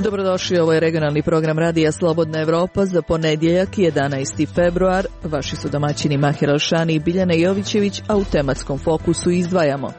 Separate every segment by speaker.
Speaker 1: Dobrodošli, ovo je regionalni program Radija Slobodna Evropa za ponedjeljak 11. februar. Vaši su domaćini Mahir Alšani i Biljana Jovićević, a u tematskom fokusu izdvajamo.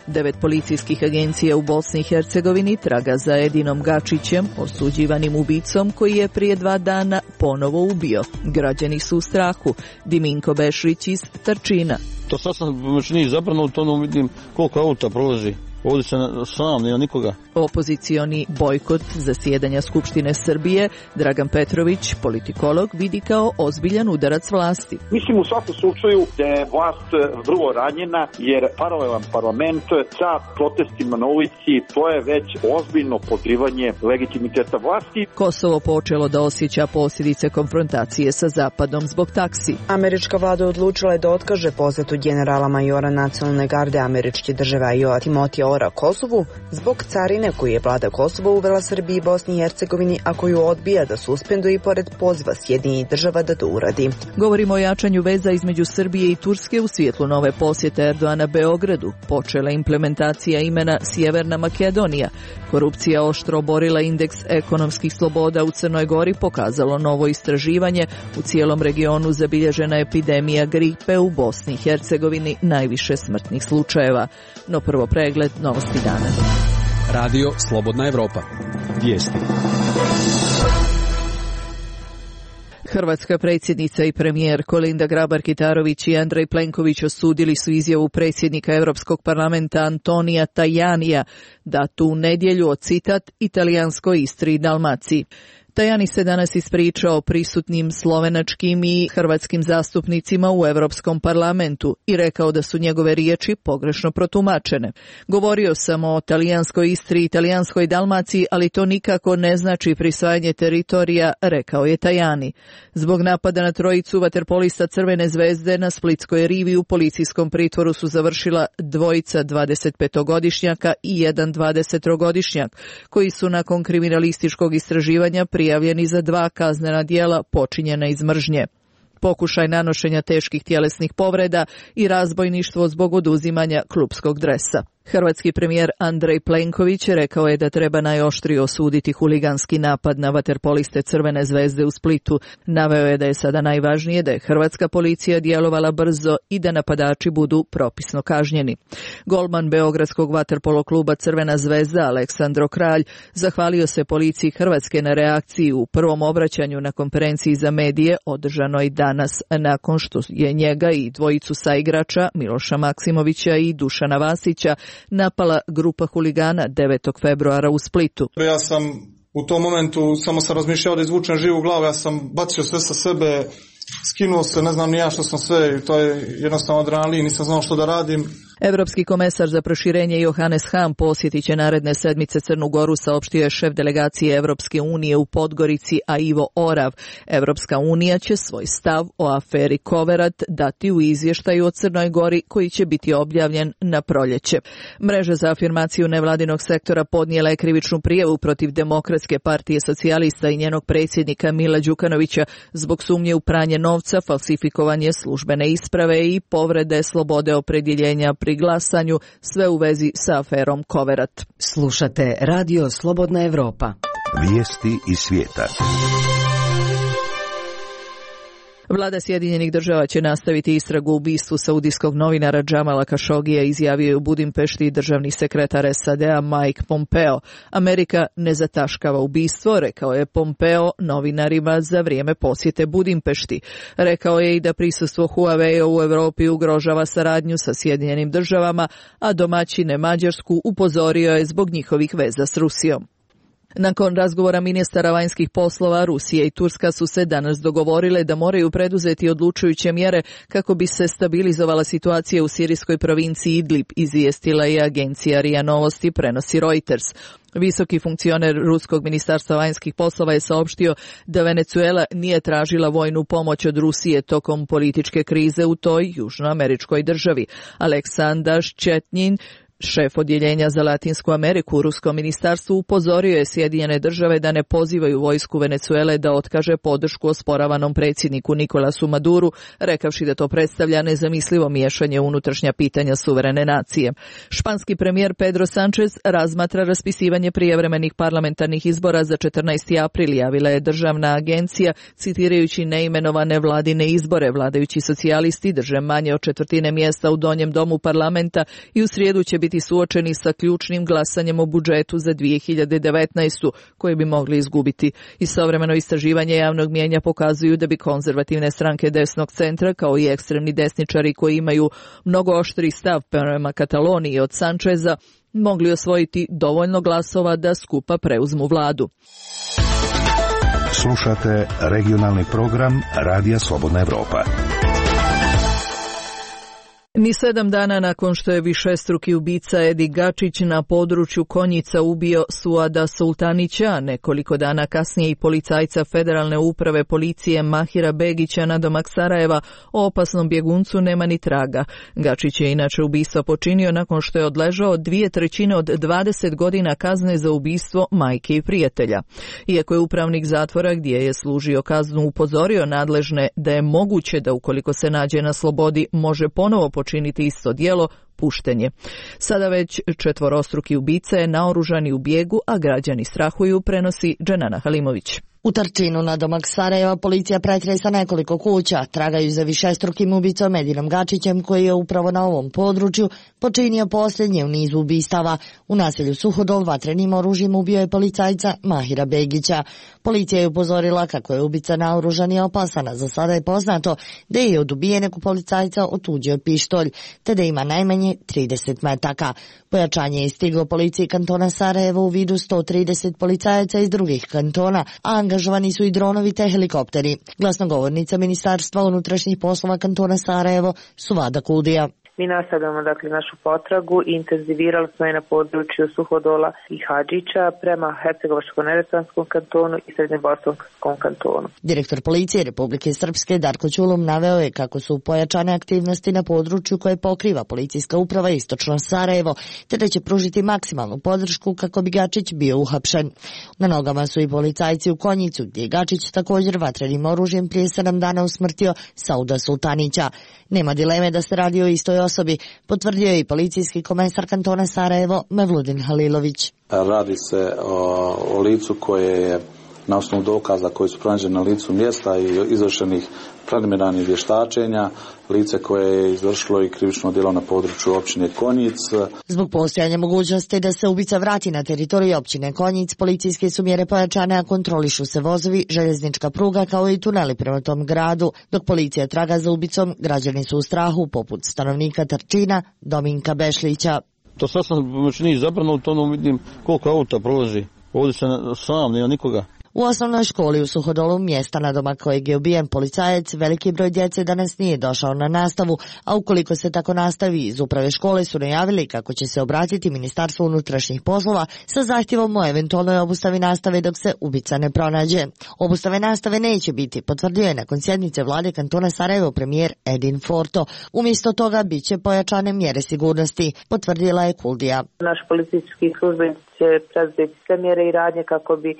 Speaker 1: 9 policijskih agencija u Bosni i Hercegovini traga za Edinom Gačićem, osuđivanim ubicom koji je prije 2 dana ponovo ubio. Građani su u strahu. Diminko Bešrić iz Trčina.
Speaker 2: To sad sam čini zabrano, to ne vidim koliko auta prolazi. Ovdje se sam, nema nikoga.
Speaker 1: Opozicioni bojkot zasjedanja Skupštine Srbije Dragan Petrović, politikolog, vidi kao ozbiljan udarac vlasti.
Speaker 3: Mislim u svakom slučaju da je vlast vrlo ranjena jer paralelan parlament sa protestima na ulici, to je već ozbiljno podrivanje legitimiteta vlasti.
Speaker 1: Kosovo počelo da osjeća posljedice konfrontacije sa Zapadom zbog taksi.
Speaker 4: Američka vlada odlučila je da otkaže posetu generala majora nacionalne garde američke države Ajoa Timotija Kosovu zbog carine koju je vlada Kosova uvela Srbiji i Bosni i Hercegovini, a koju odbija da suspenduje i pored poziva Sjedinjenih država da to uradi.
Speaker 1: Govorimo o jačanju veza između Srbije i Turske u svjetlu nove posjete Erdogana Beogradu. Počela implementacija imena Sjeverna Makedonija. Korupcija oštro oborila indeks ekonomskih sloboda u Crnoj Gori, pokazalo novo istraživanje. U cijelom regionu zabilježena epidemija gripe, u Bosni i Hercegovini najviše smrtnih slučajeva. No prvo pregled novosti dana.
Speaker 5: Radio Slobodna Evropa. Vijesti.
Speaker 1: Hrvatska predsjednica i premijer Kolinda Grabar-Kitarović i Andrej Plenković osudili su izjavu predsjednika Europskog parlamenta Antonija Tajanija da tu nedjelju, citat, italijanskoj Istri i Dalmaciji. Tajani se danas ispričao prisutnim slovenačkim i hrvatskim zastupnicima u Europskom parlamentu i rekao da su njegove riječi pogrešno protumačene. Govorio sam o talijanskoj Istri i italijanskoj Dalmaciji, ali to nikako ne znači prisvajanje teritorija, rekao je Tajani. Zbog napada na trojicu vaterpolista Crvene zvezde na Splitskoj rivi u policijskom pritvoru su završila dvojica 25-godišnjaka i jedan 20-godišnjak, koji su nakon kriminalističkog istraživanja prijavljeni za 2 kaznena djela počinjena iz mržnje. Pokušaj nanošenja teških tjelesnih povreda i razbojništvo zbog oduzimanja klupskog dresa. Hrvatski premijer Andrej Plenković rekao je da treba najoštrije osuditi huliganski napad na vaterpoliste Crvene zvezde u Splitu. Naveo je da je sada najvažnije da je hrvatska policija djelovala brzo i da napadači budu propisno kažnjeni. Golman beogradskog vaterpolo kluba Crvena zvezda Aleksandro Kralj zahvalio se policiji Hrvatske na reakciji u prvom obraćanju na konferenciji za medije održanoj danas nakon što je njega i dvojicu saigrača Miloša Maksimovića i Dušana Vasića napala grupa huligana 9. februara u Splitu.
Speaker 6: Ja sam u tom momentu samo sam razmišljao da izvučem živu glavu, ja sam bacio sve sa sebe, skinuo se, ne znam ni ja što sam sve, to je jednostavno adrenalin, nisam znao što da radim.
Speaker 1: Evropski komesar za proširenje Johannes Hahn posjetit će naredne sedmice Crnu Goru, saopštio je šef delegacije Evropske unije u Podgorici, a Ivo Orav. Evropska unija će svoj stav o aferi Koverat dati u izvještaju o Crnoj Gori koji će biti objavljen na proljeće. Mreža za afirmaciju nevladinog sektora podnijela je krivičnu prijavu protiv Demokratske partije socijalista i njenog predsjednika Mila Đukanovića zbog sumnje u pranje novca, falsifikovanje službene isprave i povrede slobode opredjeljenja pri glasanju, sve u vezi sa aferom Koverat.
Speaker 7: Slušate Radio Slobodna Evropa.
Speaker 8: Vijesti iz svijeta.
Speaker 1: Vlada Sjedinjenih država će nastaviti istragu u ubistvu saudijskog novinara Džamala Kašogija, izjavio je u Budimpešti državni sekretar SAD-a Mike Pompeo. Amerika ne zataškava ubistvo, rekao je Pompeo novinarima za vrijeme posjete Budimpešti. Rekao je i da prisustvo Huawei u Europi ugrožava saradnju sa Sjedinjenim državama, a domaćine Mađarsku upozorio je zbog njihovih veza s Rusijom. Nakon razgovora ministara vanjskih poslova, Rusija i Turska su se danas dogovorile da moraju preduzeti odlučujuće mjere kako bi se stabilizovala situacija u sirijskoj provinciji Idlib, izvijestila je agencija RIA Novosti, prenosi Reuters. Visoki funkcioner Ruskog ministarstva vanjskih poslova je saopštio da Venezuela nije tražila vojnu pomoć od Rusije tokom političke krize u toj južnoameričkoj državi. Aleksandar Ščetnjin, Šef odjeljenja za Latinsku Ameriku u Ruskom ministarstvu upozorio je Sjedinjene države da ne pozivaju vojsku Venezuele da otkaže podršku osporavanom predsjedniku Nikolasu Maduru, rekavši da to predstavlja nezamislivo miješanje u unutrašnja pitanja suverene nacije. Španski premijer Pedro Sánchez razmatra raspisivanje prijevremenih parlamentarnih izbora za 14. april, javila je državna agencija, citirajući neimenovane vladine izbore. Vladajući socijalisti drže manje od četvrtine mjesta u donjem domu parlamenta i u srijedu će biti suočeni sa ključnim glasanjem o budžetu za 2019. koje bi mogli izgubiti. Istovremeno istraživanje javnog mijenja pokazuju da bi konzervativne stranke desnog centra, kao i ekstremni desničari koji imaju mnogo oštri stav prema Kataloniji od Sančeza, mogli osvojiti dovoljno glasova da skupa preuzmu vladu.
Speaker 8: Slušate regionalni program Radija Slobodna Evropa.
Speaker 1: Ni 7 dana nakon što je višestruki ubica Edi Gačić na području Konjica ubio Suada Sultanića, nekoliko dana kasnije i policajca Federalne uprave policije Mahira Begića nadomak Sarajeva, o opasnom bjeguncu nema ni traga. Gačić je inače ubistva počinio nakon što je odležao 2/3 od 20 godina kazne za ubistvo majke i prijatelja. Iako je upravnik zatvora gdje je služio kaznu upozorio nadležne da je moguće da ukoliko se nađe na slobodi može ponovo počiniti isto djelo, pušten je. Sada već 4-struki ubica je naoružan i u bijegu, a građani strahuju, prenosi Dženana Halimović.
Speaker 9: U Trčinu nadomak Sarajeva policija pretresa nekoliko kuća, tragaju za višestrukim ubicom Edinom Gačićem koji je upravo na ovom području počinio posljednje u nizu ubistava. U naselju Suhodol vatrenim oružjem ubio je policajca Mahira Begića. Policija je upozorila kako je ubica naoružan i opasan, a za sada je poznato da je od ubijenog policajca otuđio pištolj, te da ima najmanje 30 metaka. Pojačanje je stiglo policiji kantona Sarajevo u vidu 130 policajaca iz drugih kantona, a angažovani su i dronovi te helikopteri. Glasnogovornica Ministarstva unutrašnjih poslova kantona Sarajevo, Suvada Kuldija.
Speaker 10: Mi nastavljamo našu potragu i intenzivirali smo je na području Suhodola i Hadžića prema Hercegovačko-neretvanskom kantonu i Srednjebosanskom kantonu.
Speaker 9: Direktor policije Republike Srpske Darko Ćulum naveo je kako su pojačane aktivnosti na području koje pokriva policijska uprava Istočno Sarajevo, te da će pružiti maksimalnu podršku kako bi Gačić bio uhapšen. Na nogama su i policajci u Konjicu, gdje je Gačić također vatrenim oružjem prije 7 dana usmrtio Sauda Sultanića. Nema dileme da se radi o istoj osobi, potvrdio je i policijski komesar kantona Sarajevo Mevludin Halilović.
Speaker 11: Radi se o licu koje je na osnovu dokaza koji su pronađeni na licu mjesta i izvršenih preliminarnih vještačenja, lice koje je izvršilo i krivično djelo na području općine Konjic.
Speaker 9: Zbog postojanja mogućnosti da se ubica vrati na teritoriju općine Konjic, policijske su mjere pojačane, a kontrolišu se vozovi, željeznička pruga kao i tuneli prema tom gradu. Dok policija traga za ubicom, građani su u strahu, poput stanovnika Trčina Dominka Bešlića.
Speaker 2: To sad sam čini zabranuto, vidim koliko auta prolazi. Ovdje se sam, nema nikoga.
Speaker 9: U osnovnoj školi u Suhodolu, mjesta nadomak kojeg je ubijen policajac, veliki broj djece danas nije došao na nastavu, a ukoliko se tako nastavi, iz uprave škole su najavili kako će se obratiti Ministarstvu unutrašnjih poslova sa zahtjevom o eventualnoj obustavi nastave dok se ubica ne pronađe. Obustave nastave neće biti, potvrdio je nakon sjednice vlade kantona Sarajevo premijer Edin Forto. Umjesto toga bit će pojačane mjere sigurnosti, potvrdila je Kuldija.
Speaker 10: Naš policijski službenici će preduzeti sve mjere i radnje kako bi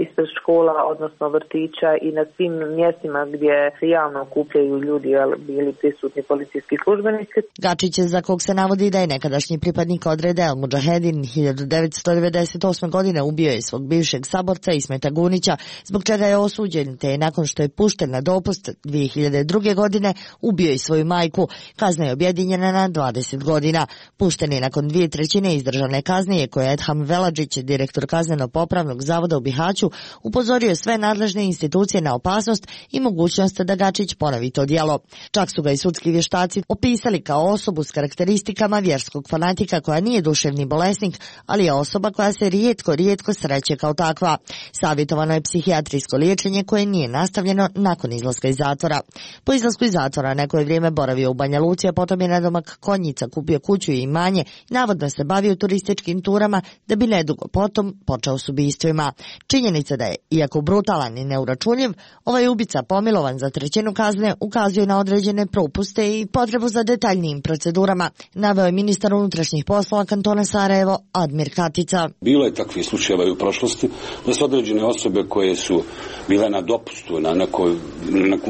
Speaker 10: ispred škola, odnosno vrtića i na svim mjestima gdje se javno okupljaju ljudi bili prisutni policijski službenici.
Speaker 9: Gačić, za kog se navodi da je nekadašnji pripadnik odreda El Mudžahedin 1998. godine ubio je svog bivšeg saborca Ismeta Gunića, zbog čega je osuđen, te je nakon što je pušten na dopust 2002. godine ubio i svoju majku. Kazna je objedinjena na 20 godina. Pušten je nakon 2/3 izdržane kazne, koje je Edham Veladžić, direktor kazneno-popravnog zavoda u Bihaću, upozorio sve nadležne institucije na opasnost i mogućnost da Gačić ponovi to djelo. Čak su ga i sudski vještaci opisali kao osobu s karakteristikama vjerskog fanatika koja nije duševni bolesnik, ali je osoba koja se rijetko sreće kao takva. Savjetovano je psihijatrijsko liječenje koje nije nastavljeno nakon izlaska iz zatvora. Po izlasku iz zatvora neko je vrijeme boravio u Banja Luci, a potom je nadomak Konjica kupio kuću i imanje i navodno se bavio turističkim turama da bi nedugo potom počeo s ubistvima. Činjenica da je, iako brutalan i neuračunljiv, ovaj ubica pomilovan za trećinu kazne ukazuje na određene propuste i potrebu za detaljnijim procedurama, naveo je ministar unutrašnjih poslova kantona Sarajevo Admir Katica.
Speaker 12: Bilo je takvih slučajeva i u prošlosti da su određene osobe koje su bile na dopustu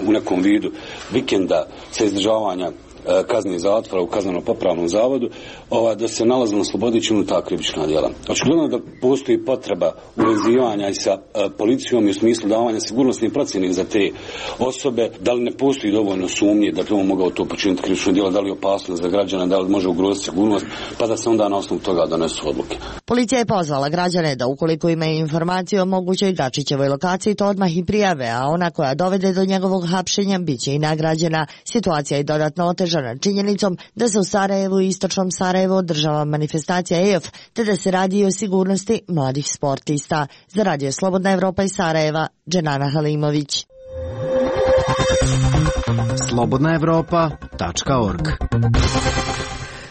Speaker 12: u nekom vidu vikenda sa izdržavanja kazne zatvora u kazneno-popravnom zavodu, da se nalaze na slobodi činu ta krivična djela. Očigledno da postoji potreba uvezivanja i sa policijom i u smislu davanja sigurnosnih procjena za te osobe, da li ne postoji dovoljno sumnje da bi on mogao to počiniti krivično djelo, da li je opasnost za građana, da li može ugroziti sigurnost, pa da se onda na osnovu toga donesu odluke.
Speaker 9: Policija je pozvala građane da ukoliko imaju informacije o mogućoj Dačićevoj lokaciji, to odmah i prijave, a ona koja dovede do njegovog hapšenja bit će i nagrađena. Situacija je dodatno otežana činjenicom da se u Sarajevu i istočnom Sarajevu održava manifestacija EOF, te da se radi o sigurnosti mladih sportista. Za Radio Slobodna Evropa iz Sarajeva, Dženana Halimović.
Speaker 7: slobodnaevropa.org.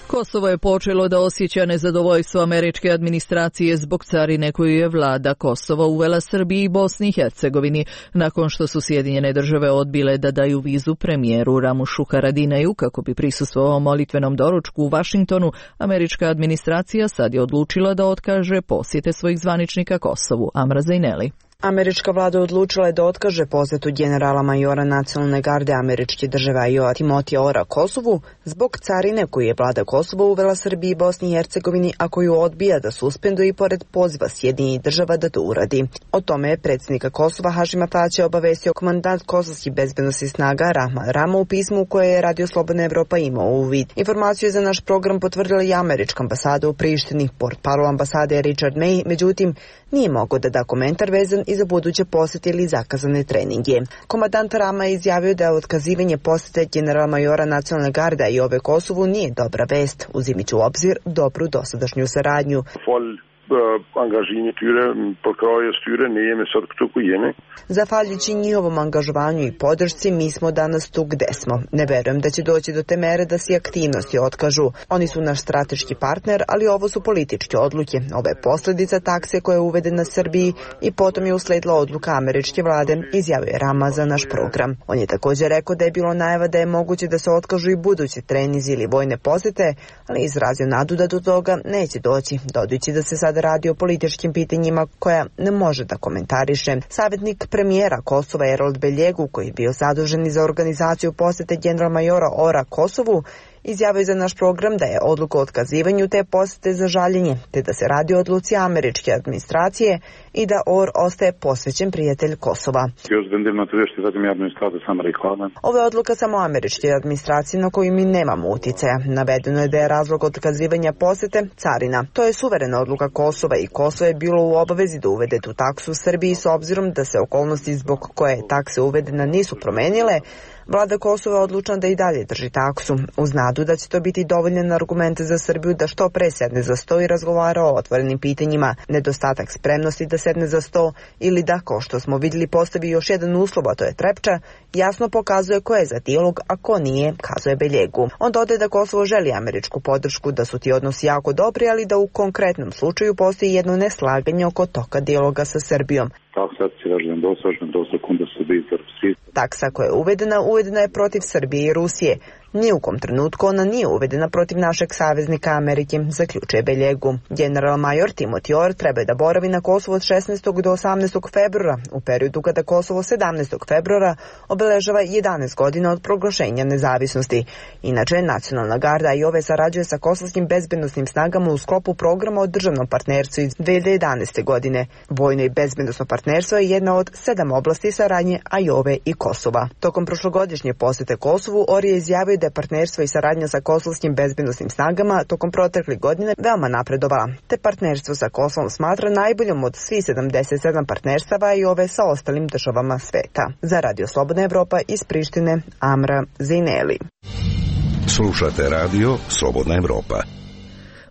Speaker 1: Kosovo je počelo da osjeća nezadovoljstvo američke administracije zbog carine koju je vlada Kosova uvela Srbiji i Bosni i Hercegovini, nakon što su Sjedinjene Države odbile da daju vizu premijeru Ramušu Haradinaju kako bi prisustvovao molitvenom doručku u Vašingtonu. Američka administracija sad je odlučila da otkaže posjete svojih zvaničnika Kosovu. Amra Zajneli.
Speaker 4: Američka vlada odlučila je da otkaže posjetu generala majora nacionalne garde američke države IOA Timotija Ora Kosovu zbog carine koju je vlada Kosova uvela Srbiji i Bosni i Hercegovini, a koju odbija da suspenduje i pored poziva Sjedinjenih Država da to uradi. O tome je predsjednika Kosova Hašima Tačija obavestio komandant kosovskih bezbednosnih snaga Rahman Rama u pismu u koje je Radio Slobodna Evropa imao uvid. Informaciju je za naš program potvrdila i američka ambasada u Prištini. Portparol ambasade je Richard May, međutim, nije mogao da da komentar vezan i za buduće posjete ili zakazane treninge. Komandant Rama je izjavio da otkazivanje posjete generala majora nacionalne garde i ove Kosovu nije dobra vest, uzimajući u obzir dobru dosadašnju saradnju. Zahvaljujući njihovom angažovanju i podršci, mi smo danas tu gde smo. Ne verujem da će doći do te mere da se aktivnosti otkažu. Oni su naš strateški partner, ali ovo su političke odluke. Ovo je posljedica takse koja je uvedena Srbiji i potom je usledila odluka američke vlade, izjavio je Rama za naš program. On je također rekao da je bilo najava da je moguće da se otkažu i budući trenizi ili vojne posjete, ali izrazio nadu da do toga neće doći, dodajući da se sad radi o političkim pitanjima koja ne može da komentariše. Savjetnik premijera Kosova Erol Beljegu, koji je bio zadužen za organizaciju posjete general majora Ora Kosovu, izjavio za naš program da je odluka o otkazivanju te posjete za žaljenje, te da se radi o odluci američke administracije i da Or ostaje posvećen prijatelj Kosova. Ovo je odluka samo američke administracije na koju mi nemamo uticaja. Navedeno je da je razlog otkazivanja posjete carina. To je suverena odluka Kosova i Kosovo je bilo u obavezi da uvede tu taksu u Srbiji s obzirom da se okolnosti zbog koje je takse uvedena nisu promenile. Vlada Kosova je odlučna da i dalje drži taksu, uz nadu da će to biti dovoljan argument za Srbiju da što pre sedne za sto i razgovara o otvorenim pitanjima. Nedostatak spremnosti da sedne za sto ili da, kao što smo vidjeli, postavi još jedan uslov, a to je Trepča, jasno pokazuje ko je za dijalog, a ko nije, kazuje Beljegu. On dodaje da Kosovo želi američku podršku, da su ti odnosi jako dobri, ali da u konkretnom slučaju postoji jedno neslaganje oko toga dijaloga sa Srbijom. Taksa koja je uvedena je protiv Srbije i Rusije. Ni u kom trenutku ona nije uvedena protiv našeg saveznika Amerike, zaključuje Beljegu. General major Timothy Orr treba da boravi na Kosovu od 16. do 18. februara, u periodu kada Kosovo 17. februara obeležava 11 godina od proglašenja nezavisnosti. Inače, Nacionalna garda IOVE sarađuje sa kosovskim bezbednosnim snagama u sklopu programa o državnom partnerstvu iz 2011. godine. Vojno i bezbednosno partnerstvo je jedna od 7 oblasti saradnje IOVE i Kosova. Tokom prošlogodišnje posjete Kosovu, Orr je izjavio da je partnerstvo i saradnja sa kosovskim bezbednosnim snagama tokom proteklih godine veoma napredovala, te partnerstvo sa Kosovom smatra najboljom od svih 77 partnerstava i ove sa ostalim državama sveta. Za Radio Slobodna Evropa iz Prištine, Amra Zajneli.
Speaker 8: Slušate Radio Slobodna Evropa.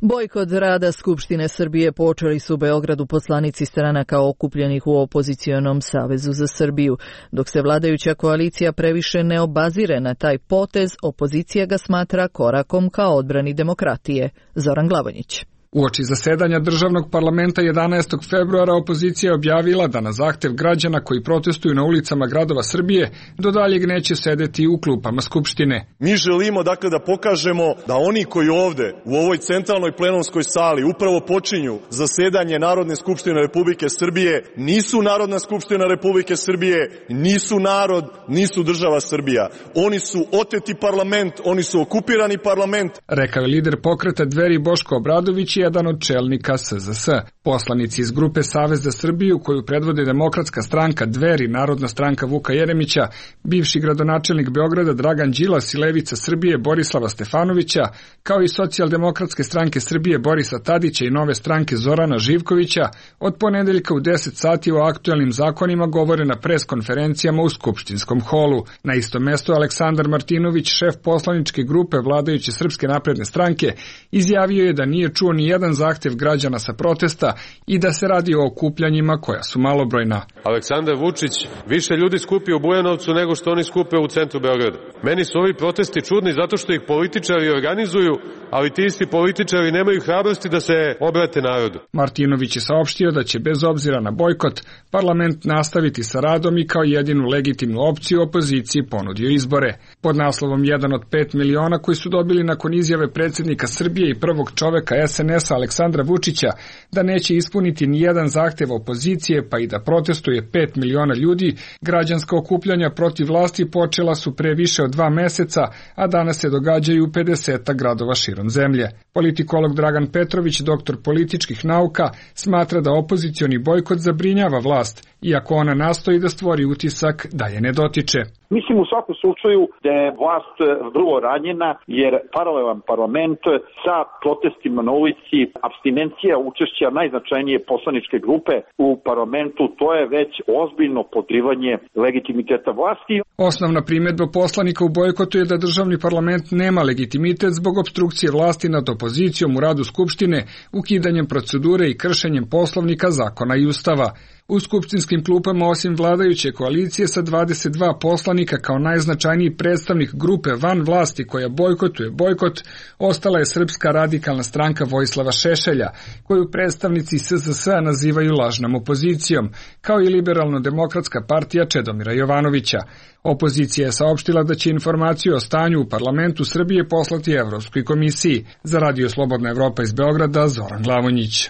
Speaker 1: Bojkot rada Skupštine Srbije počeli su u Beogradu poslanici stranaka okupljenih u opozicionom Savezu za Srbiju. Dok se vladajuća koalicija previše ne obazire na taj potez, opozicija ga smatra korakom ka odbrani demokratije. Zoran Glavonjić.
Speaker 13: Uoči zasedanja državnog parlamenta 11. februara opozicija je objavila da na zahtev građana koji protestuju na ulicama gradova Srbije do daljeg neće sedeti u klupama Skupštine.
Speaker 14: Mi želimo dakle da pokažemo da oni koji ovde u ovoj centralnoj plenumskoj sali upravo počinju zasedanje Narodne skupštine Republike Srbije nisu Narodna skupština Republike Srbije, nisu narod, nisu država Srbija. Oni su oteti parlament, oni su okupirani parlament.
Speaker 13: Rekao je lider pokreta Dveri Boško Obradović, jedan od čelnika SZS. Poslanici iz grupe Savez za Srbiju, koju predvode Demokratska stranka Dveri, Narodna stranka Vuka Jeremića, bivši gradonačelnik Beograda Dragan Đilas i Levica Srbije Borislava Stefanovića, kao i Socijaldemokratske stranke Srbije Borisa Tadića i Nove stranke Zorana Živkovića, od ponedeljka u 10 sati o aktuelnim zakonima govore na preskonferencijama u Skupštinskom holu. Na istom mestu Aleksandar Martinović, šef poslaničke grupe vladajuće Srpske napredne stranke, izjavio je da nije čuo ni jedan zahtev građana sa protesta i da se radi o okupljanjima koja su malobrojna.
Speaker 15: Aleksandar Vučić više ljudi skupi u Bujanovcu nego što oni skupe u centru Beograda. Meni su ovi protesti čudni zato što ih političari organizuju, ali ti isti političari nemaju hrabrosti da se obrate narodu.
Speaker 13: Martinović je saopštio da će bez obzira na bojkot parlament nastaviti sa radom i kao jedinu legitimnu opciju opoziciji ponudio izbore. Pod naslovom 1 od 5 miliona koji su dobili nakon izjave predsjednika Srbije i prvog čoveka SNS-a Aleksandra Vučića da neće ispuniti ni jedan zahtev opozicije pa i da protestuje 5 miliona ljudi, građanska okupljanja protiv vlasti počela su pre više od 2 meseca, a danas se događaju u 50 gradova širom zemlje. Politikolog Dragan Petrović, doktor političkih nauka, smatra da opozicioni bojkot zabrinjava vlast, iako ona nastoji da stvori utisak da je ne dotiče.
Speaker 3: Mislim u svakom slučaju da je vlast vrlo ranjena jer paralelan parlament sa protestima na ulici, apstinencija učešća najznačajnije poslaničke grupe u parlamentu, to je već ozbiljno podrivanje legitimiteta vlasti.
Speaker 13: Osnovna primjedba poslanika u bojkotu je da državni parlament nema legitimitet zbog opstrukcije vlasti nad opozicijom u radu Skupštine, ukidanjem procedure i kršenjem poslovnika, zakona i ustava. U skupštinskim klupama osim vladajuće koalicije sa 22 poslanika kao najznačajniji predstavnik grupe van vlasti koja bojkotuje bojkot, ostala je Srpska radikalna stranka Vojislava Šešelja, koju predstavnici SZS-a nazivaju lažnom opozicijom, kao i Liberalno-demokratska partija Čedomira Jovanovića. Opozicija je saopštila da će informaciju o stanju u parlamentu Srbije poslati Evropskoj komisiji. Za Radio Slobodna Evropa iz Beograda, Zoran Glavonjić.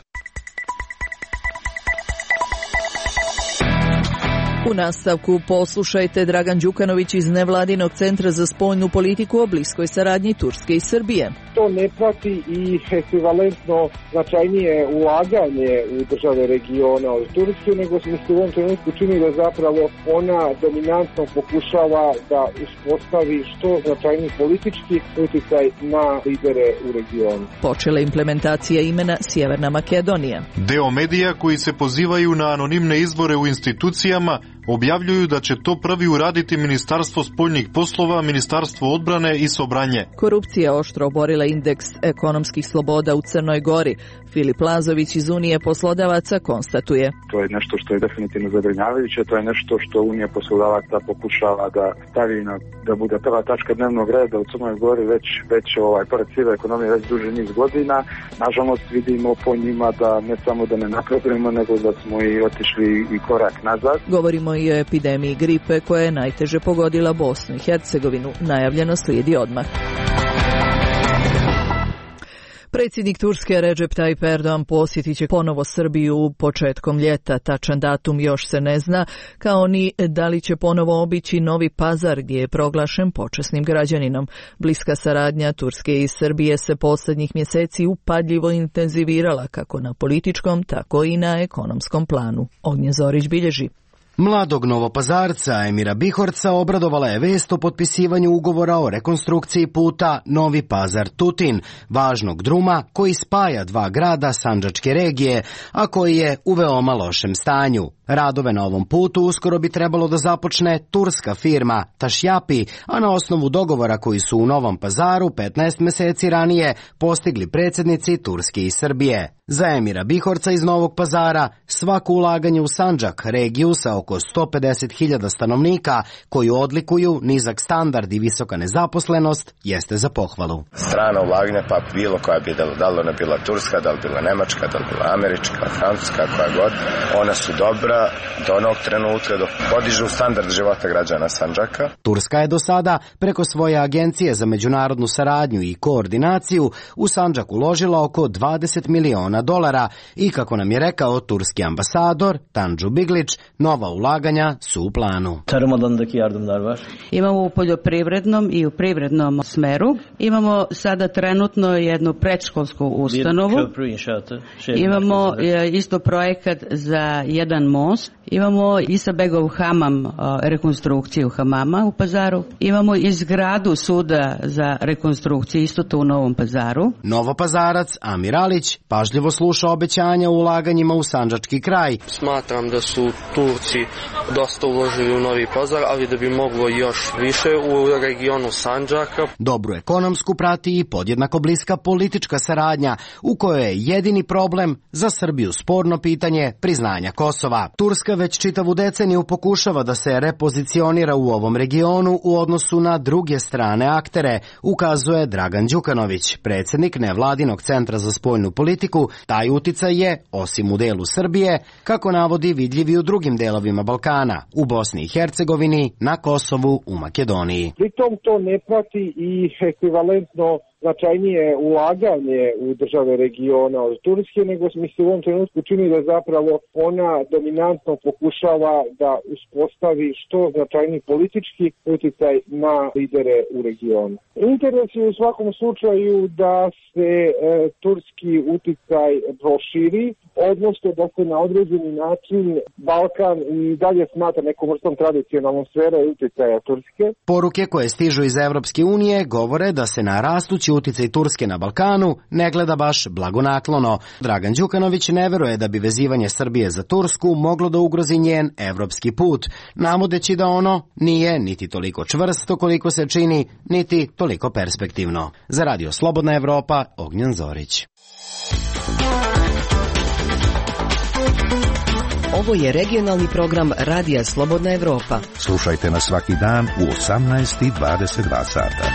Speaker 1: U nastavku poslušajte Dragan Đukanović iz Nevladinog centra za spoljnu politiku o bliskoj saradnji Turske i Srbije.
Speaker 16: To ne prati i ekvivalentno značajnije ulaganje u države regiona od Turske, nego se u ovom trenutku čini da zapravo ona dominantno pokušava da uspostavi što značajniji politički uticaj na lidere u regionu.
Speaker 1: Počela implementacija imena Sjeverna Makedonija.
Speaker 17: Deo medija koji se pozivaju na anonimne izbore u institucijama objavljuju da će to prvi uraditi Ministarstvo spoljnih poslova, Ministarstvo odbrane i Sobranje.
Speaker 1: Korupcija oštro oborila indeks ekonomskih sloboda u Crnoj Gori. Filip Lazović iz Unije poslodavaca konstatuje.
Speaker 18: To je nešto što je definitivno zabrinjavajuće, to je nešto što Unija poslodavaca pokušava da stavi da bude prva tačka dnevnog reda u Crnoj Gori već pored sive ekonomije već duži niz godina. Nažalost vidimo po njima da ne samo da ne napredujemo, nego da smo i otišli i korak nazad.
Speaker 1: Govorimo i o epidemiji gripe koja je najteže pogodila Bosnu i Hercegovinu. Najavljeno slijedi odmah. Predsjednik Turske Recep Tayyip Erdogan posjetit će ponovo Srbiju početkom ljeta. Tačan datum još se ne zna, kao ni da li će ponovo obići Novi Pazar gdje je proglašen počasnim građaninom. Bliska saradnja Turske i Srbije se posljednjih mjeseci upadljivo intenzivirala kako na političkom, tako i na ekonomskom planu. Ognjen Zorić bilježi.
Speaker 19: Mladog Novopazarca Emira Bihorca obradovala je vest o potpisivanju ugovora o rekonstrukciji puta Novi Pazar-Tutin, važnog druma koji spaja dva grada sandžačke regije, a koji je u veoma lošem stanju. Radove na ovom putu uskoro bi trebalo da započne turska firma Tašjapi, a na osnovu dogovora koji su u Novom Pazaru 15 meseci ranije postigli predsjednici Turske i Srbije. Za Emira Bihorca iz Novog Pazara svako ulaganje u Sandžak, regiju sa oko oko 150.000 stanovnika koju odlikuju nizak standard i visoka nezaposlenost jeste za pohvalu.
Speaker 20: Strana ulaganja, pa bilo koja bi, da li ona bila turska, da li bila nemačka, da li bila američka, francuska, koja god, ona su dobra do onog trenutka dok podižu standard života građana Sandžaka.
Speaker 19: Turska je do sada preko svoje agencije za međunarodnu saradnju i koordinaciju u Sandžak uložila oko $20 miliona i, kako nam je rekao turski ambasador Tanju Biglić, nova ulaganja su u planu.
Speaker 21: Imamo u poljoprivrednom i u privrednom smeru. Imamo sada trenutno jednu predškolsku ustanovu. Imamo isto projekat za jedan most. Imamo Isabegov hamam, rekonstrukciju hamama u Pazaru. Imamo izgradu suda za rekonstrukciju isto tu u Novom Pazaru.
Speaker 19: Novopazarac Amir Alić pažljivo sluša obećanja o ulaganjima u sandžački kraj.
Speaker 22: Smatram da su Turci dosta uložili u Novi Pazar, ali da bi moglo još više u regionu Sandžaka.
Speaker 19: Dobru ekonomsku prati i podjednako bliska politička saradnja, u kojoj je jedini problem za Srbiju sporno pitanje priznanja Kosova. Turska već čitavu deceniju pokušava da se repozicionira u ovom regionu u odnosu na druge strane aktere, ukazuje Dragan Đukanović, predsjednik nevladinog centra za spoljnu politiku. Taj uticaj je, osim u delu Srbije, kako navodi, vidljiv i u drugim delovima Balkana, u Bosni i Hercegovini, na Kosovu, u Makedoniji.
Speaker 16: Pritom to ne prati i ekvivalentno značajnije ulaganje u države regiona od Turske, nego mi se u ovom trenutku čini da zapravo ona dominantno pokušava da uspostavi što značajniji politički uticaj na lidere u regionu. Interes je u svakom slučaju da se turski uticaj proširi, odnosno da se na određeni način Balkan i dalje smatra nekom vrstom tradicionalnom sfere uticaja Turske.
Speaker 19: Poruke koje stižu iz Evropske unije govore da se na rastući uticaj Turske na Balkanu ne gleda baš blagonaklono. Dragan Đukanović ne veruje da bi vezivanje Srbije za Tursku moglo da ugrozi njen evropski put, navodeći da ono nije niti toliko čvrsto koliko se čini, niti toliko perspektivno. Za Radio Slobodna Evropa, Ognjen Zorić.
Speaker 7: Ovo je regionalni program Radija Slobodna Evropa.
Speaker 8: Slušajte nas svaki dan u 18:22 sata.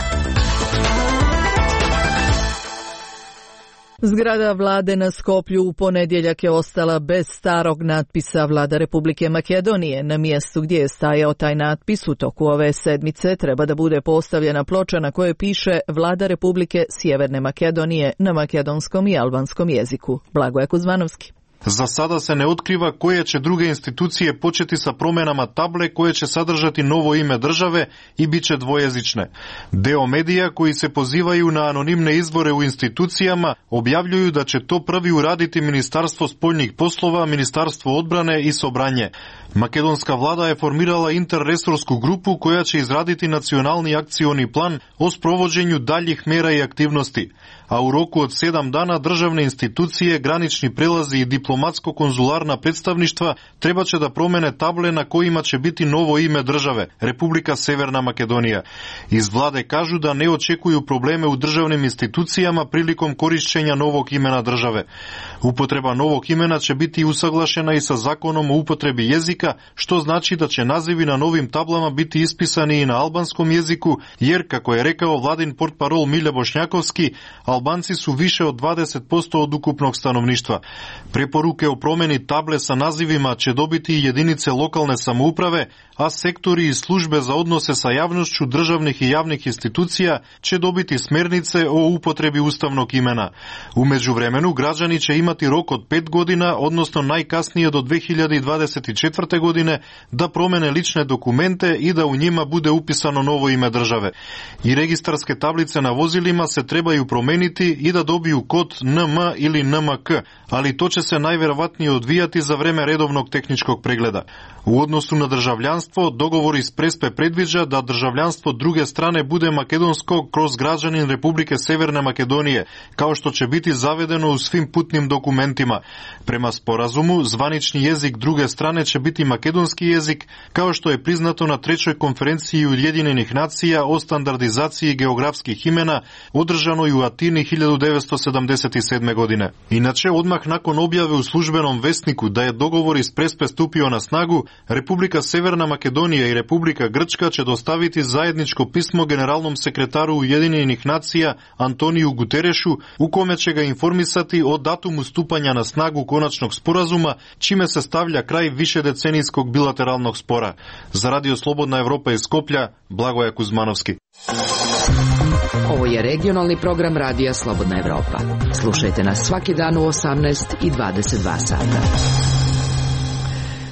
Speaker 1: Zgrada vlade na Skoplju u ponedjeljak je ostala bez starog natpisa Vlada Republike Makedonije. Na mjestu gdje je stajao taj natpis u toku ove sedmice treba da bude postavljena ploča na kojoj piše Vlada Republike Sjeverne Makedonije na makedonskom i albanskom jeziku. Blagoje Kuzmanovski.
Speaker 17: Za sada se ne otkriva koje će druge institucije početi sa promjenama table koje će sadržati novo ime države i bit će dvojezične. Deo medija koji se pozivaju na anonimne izbore u institucijama objavljuju da će to prvi uraditi Ministarstvo spoljnih poslova, Ministarstvo odbrane i Sobranje. Makedonska vlada je formirala interresorsku grupu koja će izraditi nacionalni akcioni plan o sprovođenju daljih mjera i aktivnosti, a u roku od 7 dana državne institucije, granični prelazi i diplomatsko-konzularna predstavništva treba će da promene table na kojima će biti novo ime države, Republika Severna Makedonija. Iz vlade kažu da ne očekuju probleme u državnim institucijama prilikom korišćenja novog imena države. Upotreba novog imena će biti usaglašena i sa zakonom o upotrebi jezika, što znači da će nazivi na novim tablama biti ispisani i na albanskom jeziku, jer, kako je rekao vladin portparol Milja Bošnjakovski, Albanci su više od 20% od ukupnog stanovništva. Preporuke o promjeni table sa nazivima će dobiti i jedinice lokalne samouprave, a sektori i službe za odnose sa javnošću državnih i javnih institucija će dobiti smjernice o upotrebi ustavnog imena. U međuvremenu građani će imati rok od 5 godina, odnosno najkasnije do 2024. godine, da promene lične dokumente i da u njima bude upisano novo ime države. I registarske tablice na vozilima se trebaju promeniti i da dobiju kod NM ili NMK, ali to će se najvjerovatnije odvijati za vreme redovnog tehničkog pregleda. U odnosu na državljanstvo, dogovor iz Prespe predviđa da državljanstvo druge strane bude makedonsko kroz građanin Republike Severne Makedonije, kao što će biti zavedeno u svim putnim dokumentima. Prema sporazumu, zvanični jezik druge strane će biti makedonski jezik, kao što je priznato na 3. konferenciji Ujedinjenih nacija o standardizaciji geografskih imena, održanoj u Atini 1977. godine. Inače, odmah nakon objave u u službenom vesniku da je dogovor iz Prespe stupio na snagu, Republika Severna Makedonija i Republika Grčka će dostaviti zajedničko pismo generalnom sekretaru Ujedinjenih nacija Antoniju Guterešu, u kome će ga informisati o datumu stupanja na snagu konačnog sporazuma, čime se stavlja kraj višedecenijskog bilateralnog spora. Za Radio Slobodna Evropa iz Skoplja, Blagoje Kuzmanovski.
Speaker 7: Ovo je regionalni program Radija Slobodna Evropa. Slušajte nas svaki dan u 18 i 22 sata.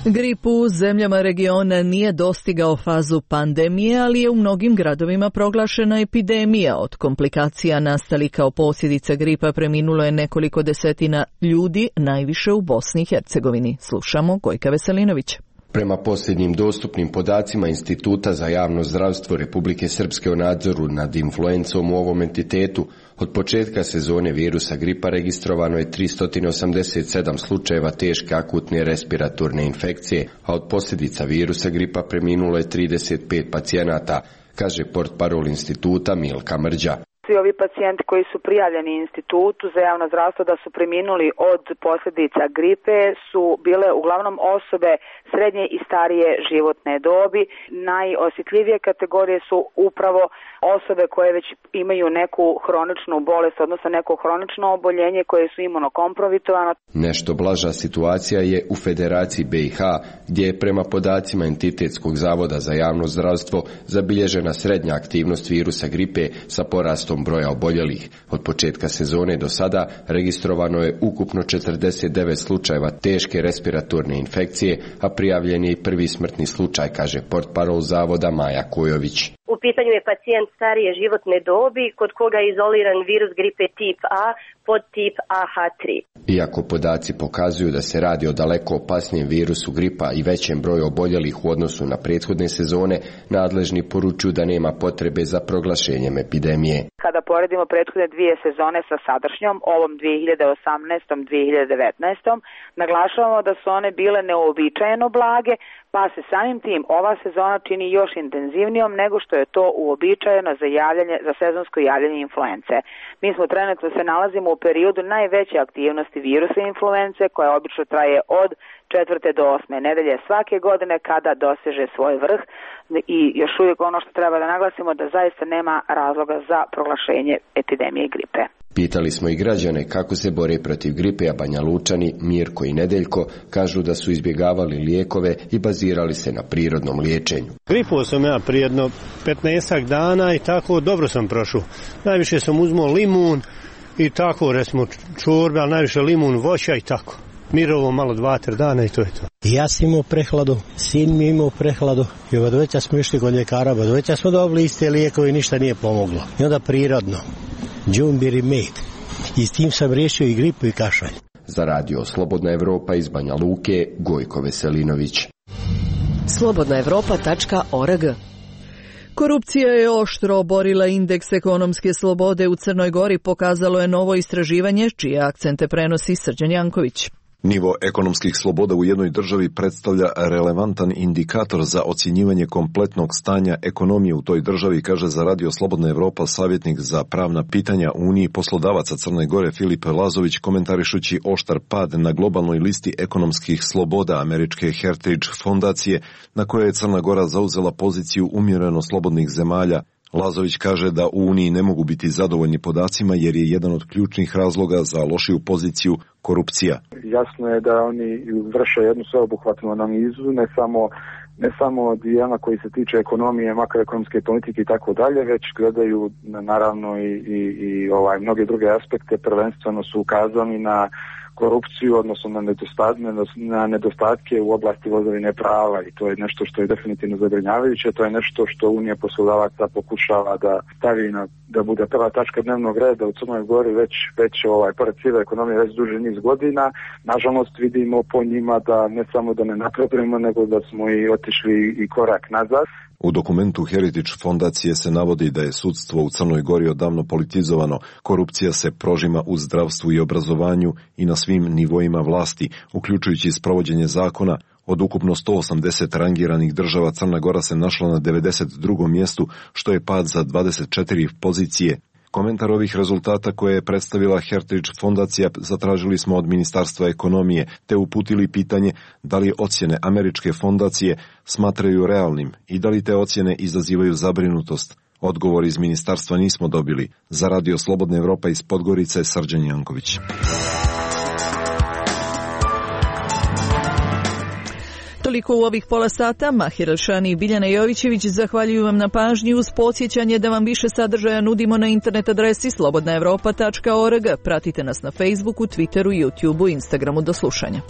Speaker 1: Grip u zemljama regiona nije dostigao fazu pandemije, ali je u mnogim gradovima proglašena epidemija. Od komplikacija nastalih kao posljedica gripa preminulo je nekoliko desetina ljudi, najviše u Bosni i Hercegovini. Slušamo Gojka Veselinovića.
Speaker 5: Prema posljednjim dostupnim podacima Instituta za javno zdravstvo Republike Srpske o nadzoru nad influencom u ovom entitetu, od početka sezone virusa gripa registrovano je 387 slučajeva teške akutne respiratorne infekcije, a od posljedica virusa gripa preminulo je 35 pacijenata, kaže portparol instituta Milka Mrđa.
Speaker 10: Svi ovi pacijenti koji su prijavljeni institutu za javno zdravstvo da su preminuli od posljedica gripe su bile uglavnom osobe srednje i starije životne dobi. Najosjetljivije kategorije su upravo osobe koje već imaju neku hroničnu bolest, odnosno neko hronično oboljenje koje su imunokompromitovano. Nešto blaža situacija je u Federaciji BiH, gdje je prema podacima Entitetskog zavoda za javno zdravstvo zabilježena srednja aktivnost virusa gripe sa porastom broja oboljelih. Od početka sezone do sada registrovano je ukupno 49 slučajeva teške respiratorne infekcije, a prijavljen je i prvi smrtni slučaj, kaže portparol zavoda Maja Kojović.
Speaker 6: U pitanju je pacijent starije životne dobi kod koga je izoliran virus gripe tip A pod tip AH3. Iako podaci pokazuju da se radi o daleko opasnijem virusu gripa i većem broju oboljelih u odnosu na prethodne sezone, nadležni poručuju da nema potrebe za proglašenjem epidemije. Kada poredimo prethodne dvije sezone sa sadašnjom, ovom 2018-2019, naglašavamo da su one bile neuobičajeno blage, pa se samim tim ova sezona čini još intenzivnijom nego što je to uobičajeno za sezonsko javljanje influence. Mi smo trenutno se nalazimo u periodu najveće aktivnosti virusa influence, koja obično traje od 4. do 8. nedelje svake godine kada doseže svoj vrh, i još uvijek ono što treba da naglasimo da zaista nema razloga za proglašenje epidemije gripe. Pitali smo i građane kako se bore protiv gripe, a Banja Lučani, Mirko i Nedeljko kažu da su izbjegavali lijekove i bazirali se na prirodnom liječenju.
Speaker 23: Gripuo sam ja prije jedno 15 dana i tako dobro sam prošao. Najviše sam uzmao limun i tako, recimo čorbe, ali najviše limun, voća i tako. Mirovo malo 2-3 dana i to je to.
Speaker 24: Ja sam imao prehladu, sin mi je imao prehladu i od veća smo išli kod ljekara, od veća smo dobili iste lijekove i ništa nije pomoglo. I onda prirodno, džumbir i med. I s tim sam riješio i gripu i kašalj.
Speaker 5: Za Radio Slobodna Evropa iz Banja Luke, Gojko Veselinović.
Speaker 7: slobodnaevropa.org.
Speaker 1: Korupcija je oštro oborila indeks ekonomske slobode u Crnoj Gori, pokazalo je novo istraživanje, čije akcente prenosi Srđan Janković.
Speaker 25: Nivo ekonomskih sloboda u jednoj državi predstavlja relevantan indikator za ocjenjivanje kompletnog stanja ekonomije u toj državi, kaže za Radio Slobodna Evropa savjetnik za pravna pitanja Uniji poslodavaca Crne Gore Filip Lazović, komentarišući oštar pad na globalnoj listi ekonomskih sloboda američke Heritage fondacije, na kojoj je Crna Gora zauzela poziciju umjereno slobodnih zemalja. Lazović kaže da u Uniji ne mogu biti zadovoljni podacima jer je jedan od ključnih razloga za lošiju poziciju korupcija.
Speaker 18: Jasno je da oni vrše jednu sveobuhvatnu analizu, ne samo dijela koji se tiče ekonomije, makroekonomske politike i tako dalje, već gledaju naravno i mnoge druge aspekte. Prvenstveno su ukazani na korupciju, odnosno na nedostatke u oblasti vladavine prava, i to je nešto što je definitivno zabrinjavajuće. To je nešto što Unija poslodavaca pokušava da stavi da bude prva tačka dnevnog reda u Crnoj Gori već pored sive ekonomije već duži niz godina. Nažalost vidimo po njima da ne samo da ne napredujemo, nego da smo i otišli i korak nazad.
Speaker 25: U dokumentu Heritage fondacije se navodi da je sudstvo u Crnoj Gori odavno politizovano, korupcija se prožima u zdravstvu i obrazovanju i na svim nivoima vlasti, uključujući sprovođenje zakona. Od ukupno 180 rangiranih država Crna Gora se našla na 92. mjestu, što je pad za 24 pozicije. komentar ovih rezultata koje je predstavila Heritage fondacija zatražili smo od Ministarstva ekonomije, te uputili pitanje da li ocjene američke fondacije smatraju realnim i da li te ocjene izazivaju zabrinutost. Odgovor iz ministarstva nismo dobili. Za Radio Slobodna Evropa iz Podgorice, Srđan Janković.
Speaker 1: Toliko u ovih pola sata. Mahir Elšani i Biljana Jovićević zahvaljuju vam na pažnji uz podsjećanje da vam više sadržaja nudimo na internet adresi slobodnaevropa.org. Pratite nas na Facebooku, Twitteru, YouTubeu, Instagramu. Do slušanja.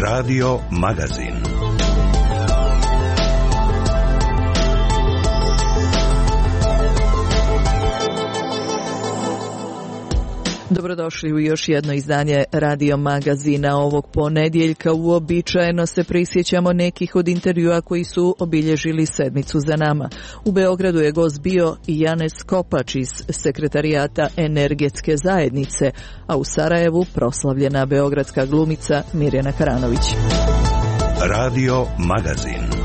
Speaker 8: Radio Magazin.
Speaker 1: Dobrodošli u još jedno izdanje Radio Magazina. Ovog ponedjeljka uobičajeno se prisjećamo nekih od intervjua koji su obilježili sedmicu za nama. U Beogradu je gost bio i Janez Kopač iz Sekretarijata Energetske zajednice, a u Sarajevu proslavljena beogradska glumica Mirjana Karanović.
Speaker 8: Radio Magazin.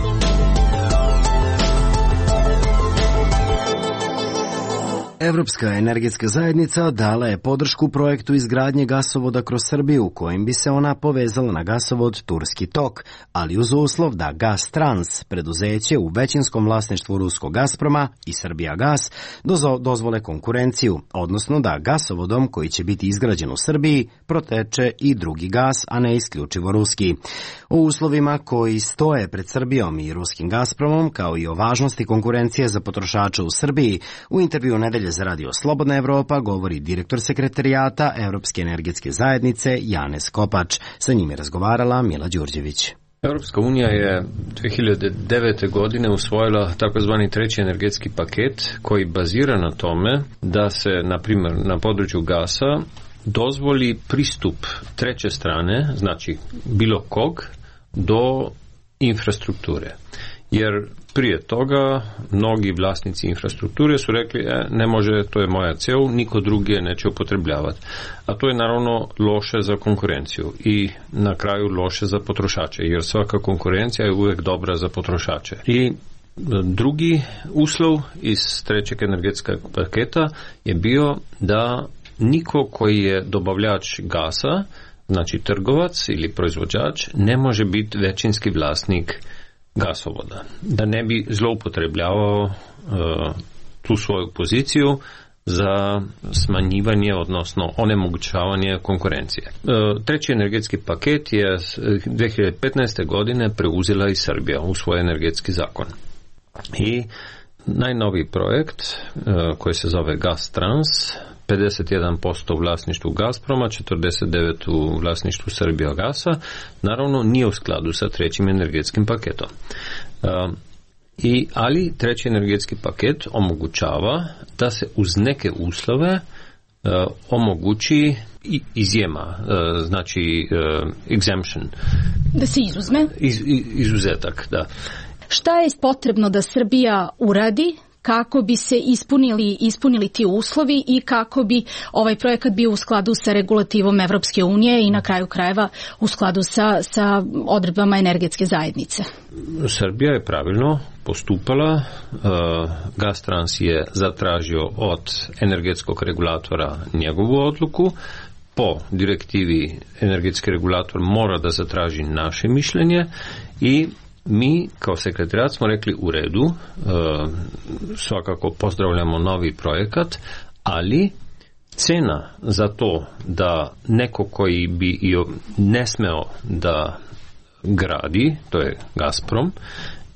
Speaker 19: Evropska energetska zajednica dala je podršku projektu izgradnje gasovoda kroz Srbiju, kojim bi se ona povezala na gasovod Turski tok, ali uz uslov da Gastrans, preduzeće u većinskom vlasništvu ruskog Gazproma i Srbijagas, dozvole konkurenciju, odnosno da gasovodom koji će biti izgrađen u Srbiji proteče i drugi gas, a ne isključivo ruski. O uslovima koji stoje pred Srbijom i ruskim Gazpromom, kao i o važnosti konkurencije za potrošače u Srbiji, u intervju Nedelje za Radio Slobodna Evropa govori direktor Sekretarijata Evropske energetske zajednice Janez Kopač. Sa njim je razgovarala Mila Đurđević.
Speaker 2: Europska unija je 2009. godine usvojila takozvani treći energetski paket koji bazira na tome da se, na primjer, na području gasa dozvoli pristup treće strane, znači bilo kog, do infrastrukture. Jer prije toga mnogi vlasnici infrastrukture su rekli ne može, to je moja cev, niko drugi je neće upotrebljavati. A to je naravno loše za konkurenciju i na kraju loše za potrošače, jer svaka konkurencija je uvijek dobra za potrošače. I drugi uslov iz trećeg energetskog paketa je bio da niko koji je dobavljač gasa, znači trgovac ili proizvođač, ne može biti većinski vlasnik gasovoda, da ne bi zloupotrebljavao tu svoju poziciju za smanjivanje, odnosno onemogućavanje konkurencije. Treći energetski paket je 2015. godine preuzela i Srbija u svoj energetski zakon. I najnoviji projekt koji se zove Gastrans, 51% u vlasništvu Gazproma, 49% u vlasništvu Srbijagasa, naravno nije u skladu sa trećim energetskim paketom. Ali treći energetski paket omogućava da se uz neke uslove omogući izjema, znači exemption.
Speaker 4: Da se izuzme?
Speaker 2: Izuzetak, da.
Speaker 4: Šta je potrebno da Srbija uradi kako bi se ispunili ti uslovi i kako bi ovaj projekat bio u skladu sa regulativom Evropske unije i na kraju krajeva u skladu sa odredbama energetske zajednice?
Speaker 2: Srbija je pravilno postupala. Gastrans je zatražio od energetskog regulatora njegovu odluku. Po direktivi energetski regulator mora da zatraži naše mišljenje i mi kao sekretarijat smo rekli u redu, svakako pozdravljamo novi projekat, ali cena za to da neko koji bi ne smeo da gradi, to je Gazprom,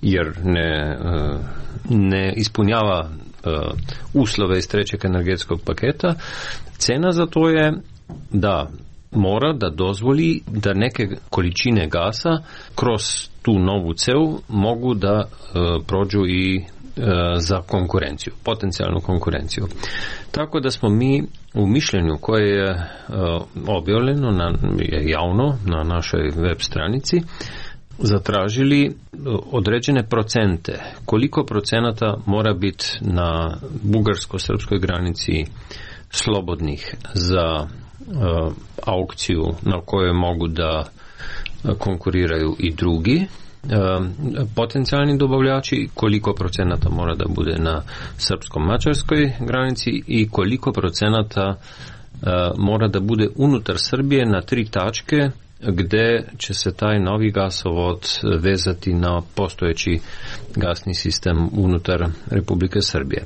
Speaker 2: jer ne ispunjava uslove iz trećeg energetskog paketa, cena za to je da mora da dozvoli da neke količine gasa kroz tu novu cev mogu da prođu i za konkurenciju, potencijalnu konkurenciju. Tako da smo mi u mišljenju koje je objavljeno javno na našoj web stranici zatražili određene procente. Koliko procenata mora biti na bugarsko-srpskoj granici slobodnih za aukciju na kojoj mogu da konkuriraju i drugi potencijalni dobavljači, koliko procenata mora da bude na srpsko-mađarskoj granici i koliko procenata mora da bude unutar Srbije na 3 tačke gde će se taj novi gasovod vezati na postojeći gasni sistem unutar Republike Srbije.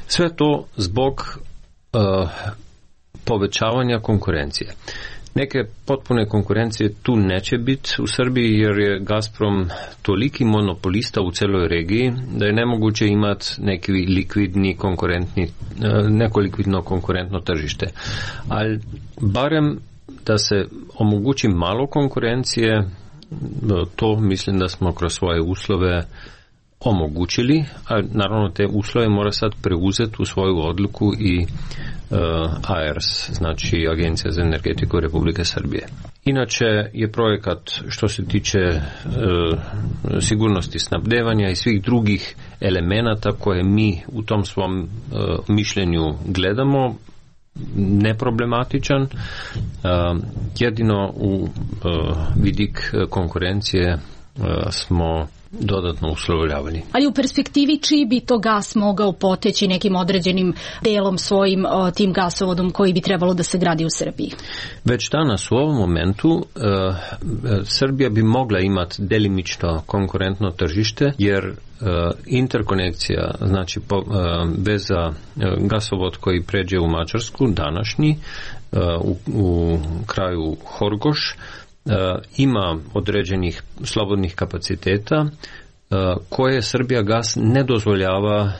Speaker 2: Sve to zbog povećavanja konkurencije. Neke potpune konkurencije tu neće biti u Srbiji jer je Gazprom toliki monopolista u celoj regiji da je nemoguće imati neki likvidni konkurentni, neko likvidno konkurentno tržište. Ali barem da se omogući malo konkurencije, to mislim da smo kroz svoje uslove omogućili, a naravno te uslove mora sad preuzeti u svoju odluku i AERS, znači Agencija za energetiku Republike Srbije. Inače je projekat što se tiče sigurnosti snabdevanja i svih drugih elemenata koje mi u tom svom mišljenju gledamo neproblematičan, jedino u vidik konkurencije smo dodatno uslovljavali.
Speaker 4: Ali u perspektivi čiji bi to gas mogao poteći nekim određenim delom svojim tim gasovodom koji bi trebalo da se gradi u Srbiji?
Speaker 2: Već danas u ovom momentu Srbija bi mogla imati delimično konkurentno tržište jer interkonekcija, znači veza gasovod koji pređe u Mađarsku današnji u kraju Horgoš ima određenih slobodnih kapaciteta koje Srbija gas ne dozvoljava,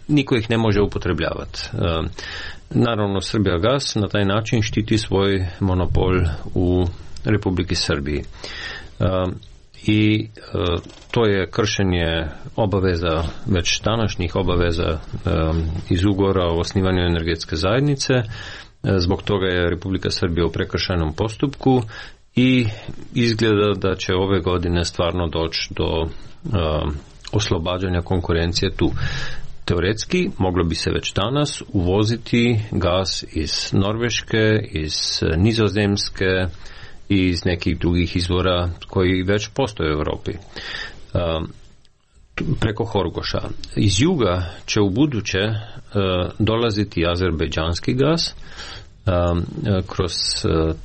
Speaker 2: niko ih ne može upotrebljavati. Naravno Srbija gas na taj način štiti svoj monopol u Republiki Srbiji. I to je kršenje obaveza, već današnjih obaveza iz ugovora o osnivanju energetske zajednice. Zbog toga je Republika Srbija u prekršajnom postupku i izgleda da će ove godine stvarno doći do oslobađanja konkurencije tu. Teoretski moglo bi se već danas uvoziti gas iz Norveške, iz Nizozemske i iz nekih drugih izvora koji već postoje u Europi. Preko Horgoša. Iz juga će u buduće dolaziti azerbejdžanski gas kroz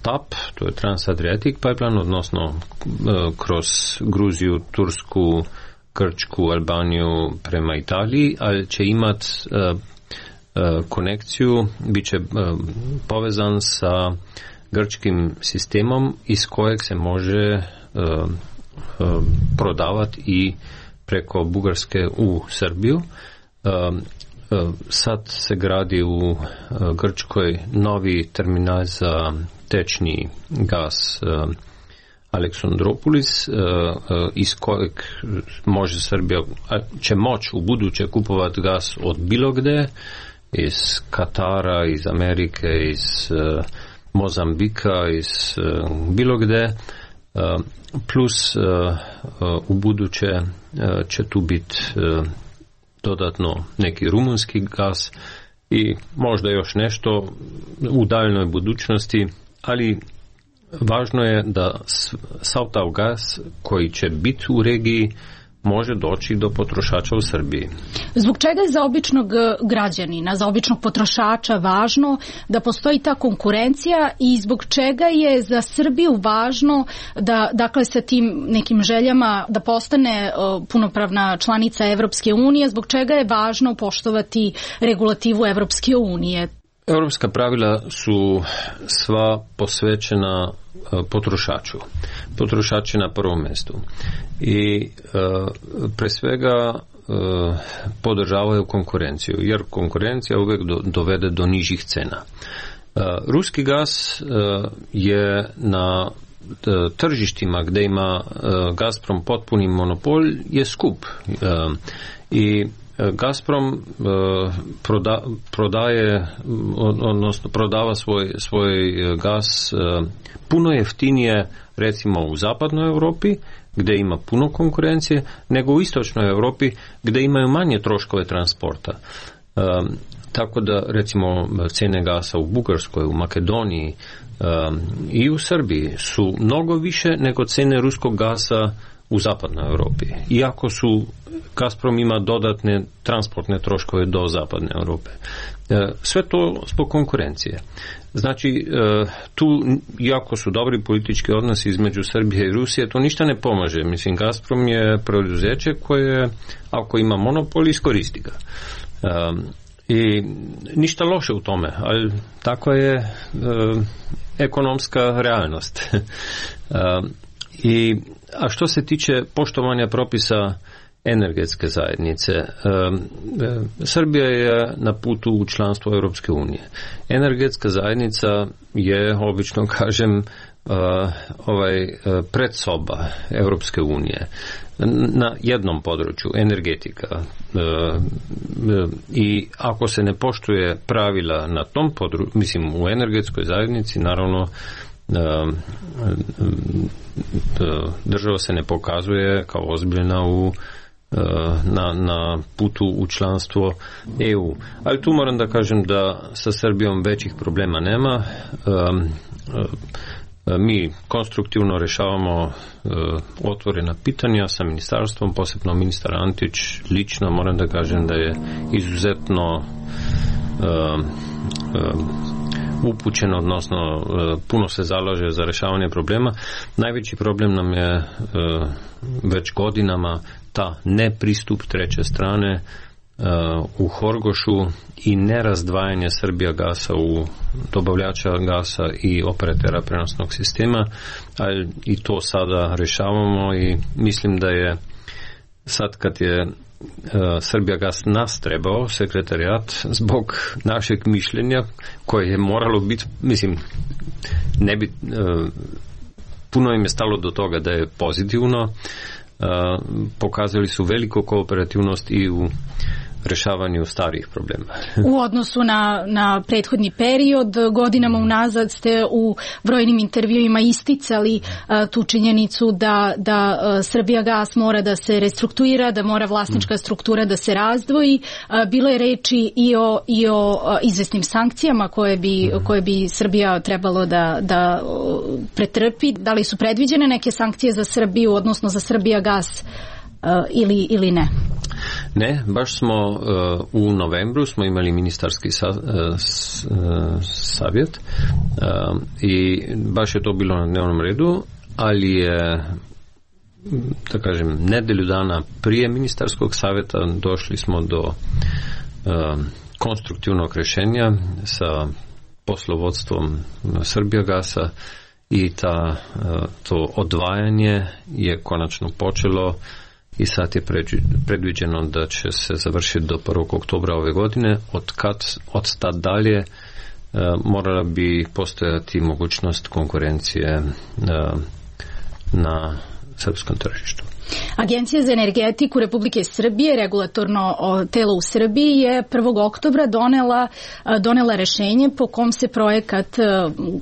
Speaker 2: TAP, to je Trans-Adriatic pipeline, odnosno kroz Gruziju, Tursku, Grčku, Albaniju prema Italiji, ali će imati konekciju, bit će povezan sa grčkim sistemom iz kojeg se može prodavati i preko Bugarske u Srbiju. Sad se gradi u Grčkoj novi terminal za tečni gas Aleksandropolis, iz kojeg može Srbija, će moći u buduće kupovati gas od bilo gde, iz Katara, iz Amerike, iz Mozambika, iz bilo gde, plus u buduće će tu biti dodatno neki rumunski gas i možda još nešto u daljnoj budućnosti, ali važno je da sav taj gas koji će biti u regiji može doći do potrošača u Srbiji.
Speaker 4: Zbog čega je za običnog građanina, za običnog potrošača važno da postoji ta konkurencija i zbog čega je za Srbiju važno da, dakle, sa tim nekim željama da postane punopravna članica Evropske unije, zbog čega je važno poštovati regulativu Evropske unije?
Speaker 2: Europska pravila su sva posvećena potrošaču. Potrošač je na prvom mjestu. I pre svega podržavaju konkurenciju, jer konkurencija uvijek dovede do nižih cena. Ruski gas je na tržištima gdje ima Gazprom potpuni monopol je skup. I Gazprom prodaje, odnosno prodava svoj gas puno jeftinije recimo u zapadnoj Europi gdje ima puno konkurencije nego u istočnoj Europi gdje imaju manje troškove transporta. tako da recimo cene gasa u Bugarskoj, u Makedoniji i u Srbiji su mnogo više nego cene ruskog gasa u zapadnoj Europi. Iako Gazprom ima dodatne transportne troškove do zapadne Europe. Sve to zbog konkurencije. Znači, tu, iako su dobri politički odnosi između Srbije i Rusije, to ništa ne pomaže. Mislim, Gazprom je preduzeće koje, ako ima monopol, iskoristi ga. I ništa loše u tome, ali tako je ekonomska realnost. A što se tiče poštovanja propisa energetske zajednice, Srbija je na putu u članstvo Europske unije. Energetska zajednica je, obično kažem, predsoba Europske unije na jednom području, energetika. I ako se ne poštuje pravila na tom području, mislim u energetskoj zajednici, naravno država se ne pokazuje kao ozbiljna na putu u članstvo EU. Ali tu moram da kažem da sa Srbijom većih problema nema. Mi konstruktivno rešavamo otvorena pitanja sa ministarstvom, posebno ministar Antić lično moram da kažem da je izuzetno upućen, odnosno puno se zalaže za rešavanje problema. Najveći problem nam je već godinama ta nepristup treće strane u Horgošu i nerazdvajanje Srbijagasa u dobavljača gasa i operatera prenosnog sistema, ali i to sada rešavamo i mislim da je sad kad je Srbijagas nas trebao, sekretarijat, zbog našeg mišljenja koje je moralo biti, mislim, ne bi, puno im je stalo do toga da je pozitivno, pokazali su veliku kooperativnost i u rešavanju starih problema.
Speaker 4: U odnosu na prethodni period, godinama unazad ste u brojnim intervjuima isticali tu činjenicu da Srbijagas mora da se restrukturira, da mora vlasnička struktura da se razdvoji. Bilo je reči i o izvesnim sankcijama koje bi Srbija trebalo da pretrpi. Da li su predviđene neke sankcije za Srbiju, odnosno za Srbijagas ili ne?
Speaker 2: Ne, baš smo u novembru smo imali ministarski savjet i baš je to bilo na dnevnom redu, ali je, da kažem, nedelju dana prije ministarskog savjeta došli smo do konstruktivnog rješenja sa poslovodstvom Srbijagasa i to odvajanje je konačno počelo i sad je predviđeno da će se završiti do 1. oktobra ove godine. Od tad dalje morala bi postojati mogućnost konkurencije na srpskom tržištu.
Speaker 4: Agencija za energetiku Republike Srbije, regulatorno telo u Srbiji, je 1. oktobra donela rešenje po kom se projekat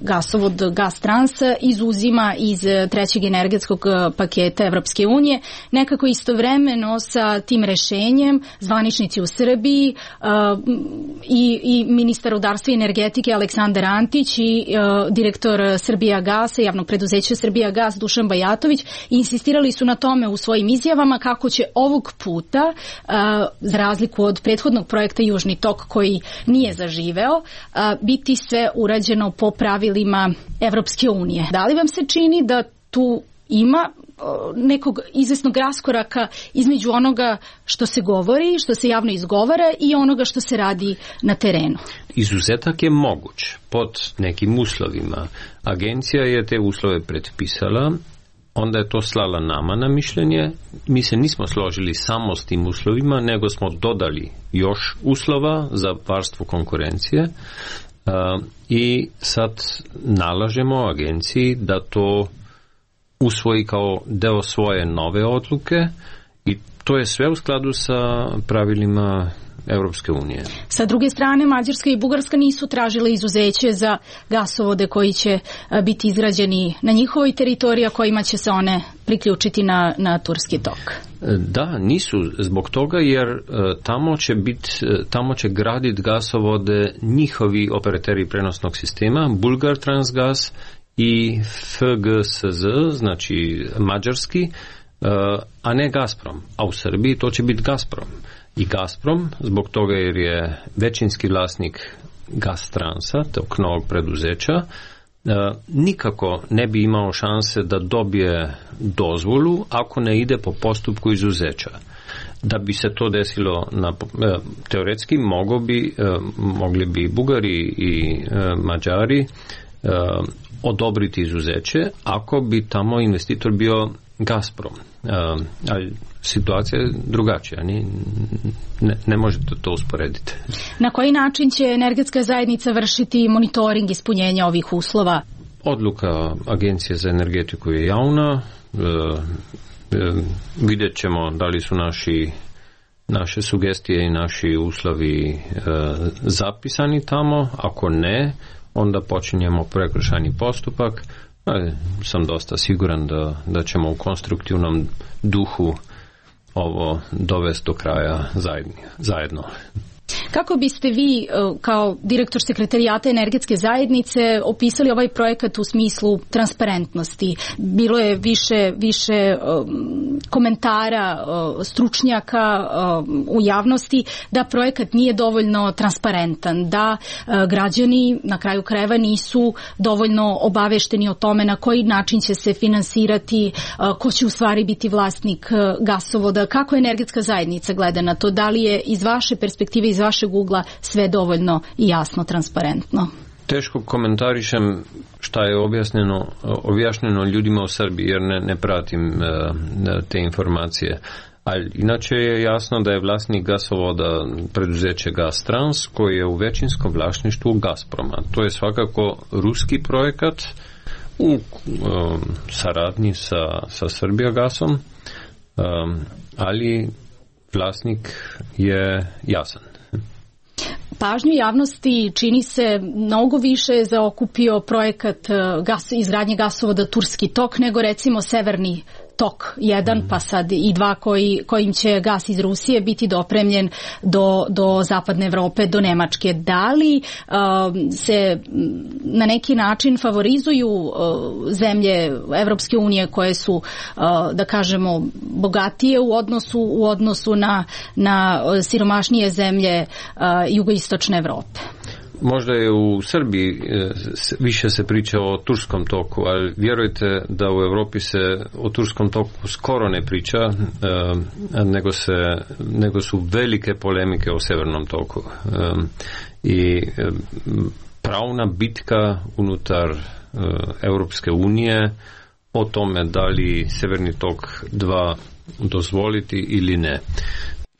Speaker 4: gasovod Gastrans izuzima iz trećeg energetskog paketa Evropske unije. Nekako istovremeno sa tim rešenjem zvaničnici u Srbiji i ministar rudarstva i energetike Aleksandar Antić i direktor Srbijagasa, javnog preduzeća Srbijagas Dušan Bajatović insistirali su na tome u svojim izjavama kako će ovog puta, za razliku od prethodnog projekta Južni tok koji nije zaživeo, biti sve urađeno po pravilima Evropske unije. Da li vam se čini da tu ima nekog izvesnog raskoraka između onoga što se govori, što se javno izgovara i onoga što se radi na terenu?
Speaker 2: Izuzetak je moguć pod nekim uslovima. Agencija je te uslove predpisala, onda je to slala nama na mišljenje. Mi se nismo složili samo s tim uslovima, nego smo dodali još uslova za varstvo konkurencije i sad nalažemo agenciji da to usvoji kao deo svoje nove odluke i to je sve u skladu sa pravilima Europske unije.
Speaker 4: Sa druge strane, Mađarska i Bugarska nisu tražile izuzeće za gasovode koji će biti izgrađeni na njihovoj teritoriji, a kojima će se one priključiti na Turski tok.
Speaker 2: Da, nisu zbog toga jer tamo će graditi gasovode njihovi operateri prenosnog sistema, Bulgar Transgas i FGSZ, znači mađarski, a ne Gazprom. A u Srbiji to će biti Gazprom. I Gazprom, zbog toga jer je većinski vlasnik Gastransa, tog novog preduzeća, nikako ne bi imao šanse da dobije dozvolu ako ne ide po postupku izuzeća. Da bi se to desilo teoretski mogli bi Bugari i Mađari odobriti izuzeće ako bi tamo investitor bio Gazprom. Ali situacija je drugačija, ne možete to usporediti.
Speaker 4: Na koji način će energetska zajednica vršiti monitoring ispunjenja ovih uslova?
Speaker 2: Odluka Agencije za energetiku je javna. Vidjet ćemo da li su naše sugestije i naši uslovi zapisani tamo. Ako ne, onda počinjemo prekršajni postupak. Sam dosta siguran da ćemo u konstruktivnom duhu ovo dovesti do kraja zajedno.
Speaker 4: Kako biste vi kao direktor sekretarijata energetske zajednice opisali ovaj projekat u smislu transparentnosti? Bilo je više komentara stručnjaka u javnosti da projekat nije dovoljno transparentan, da građani na kraju krajeva nisu dovoljno obavešteni o tome na koji način će se finansirati, ko će u stvari biti vlasnik gasovoda. Kako energetska zajednica gleda na to? Da li je iz vaše perspektive, iz vašeg ugla sve dovoljno i jasno, transparentno?
Speaker 2: Teško komentarišem šta je objašnjeno ljudima u Srbiji jer ne pratim te informacije. Ali inače je jasno da je vlasnik gasovoda preduzeće Gastrans koji je u većinskom vlasništvu Gazproma. To je svakako ruski projekat u saradnji sa Srbijagasom, ali vlasnik je jasan.
Speaker 4: Pažnju javnosti čini se mnogo više zaokupio projekat izgradnje gasovoda Turski tok nego recimo Severni tok 1 pa sad i 2 kojim će gas iz Rusije biti dopremljen do zapadne Evrope, do Nemačke. Da li se na neki način favorizuju zemlje Evropske unije koje su, da kažemo, bogatije u odnosu na siromašnije zemlje jugoistočne Evrope?
Speaker 2: Možda je u Srbiji više se priča o Turskom toku, ali vjerujte da u Europi se o Turskom toku skoro ne priča, nego su velike polemike o Severnom toku. I pravna bitka unutar Europske unije o tome da li Severni tok 2 dozvoliti ili ne.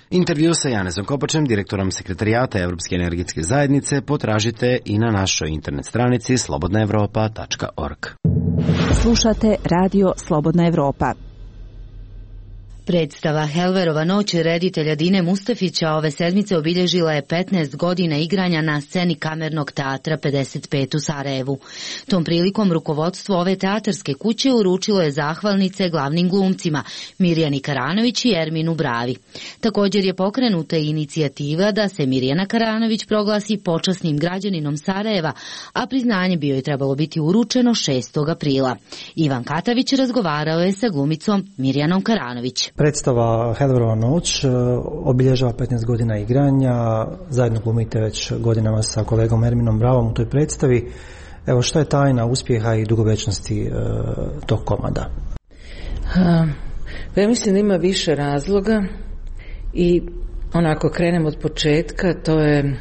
Speaker 19: Intervju sa Janezom Kopačem, direktorom sekretarijata Evropske energetske zajednice, potražite i na našoj internet stranici slobodnaevropa.org.
Speaker 9: Slušate Radio Slobodna Evropa.
Speaker 11: Predstava Helverova noć reditelja Dine Mustafića ove sedmice obilježila je 15 godina igranja na sceni Kamernog teatra 55 u Sarajevu. Tom prilikom rukovodstvo ove teatarske kuće uručilo je zahvalnice glavnim glumcima Mirjani Karanović i Erminu Bravi. Također je pokrenuta inicijativa da se Mirjana Karanović proglasi počasnim građaninom Sarajeva, a priznanje bio je trebalo biti uručeno 6. aprila. Ivan Katavić razgovarao je sa glumicom Mirjanom Karanović.
Speaker 12: Predstava Helverova noć obilježava 15 godina igranja, zajedno glumite već godinama sa kolegom Erminom Bravom u toj predstavi. Evo, šta je tajna uspjeha i dugovečnosti tog komada?
Speaker 14: Ja mislim da ima više razloga i onako krenem od početka, to je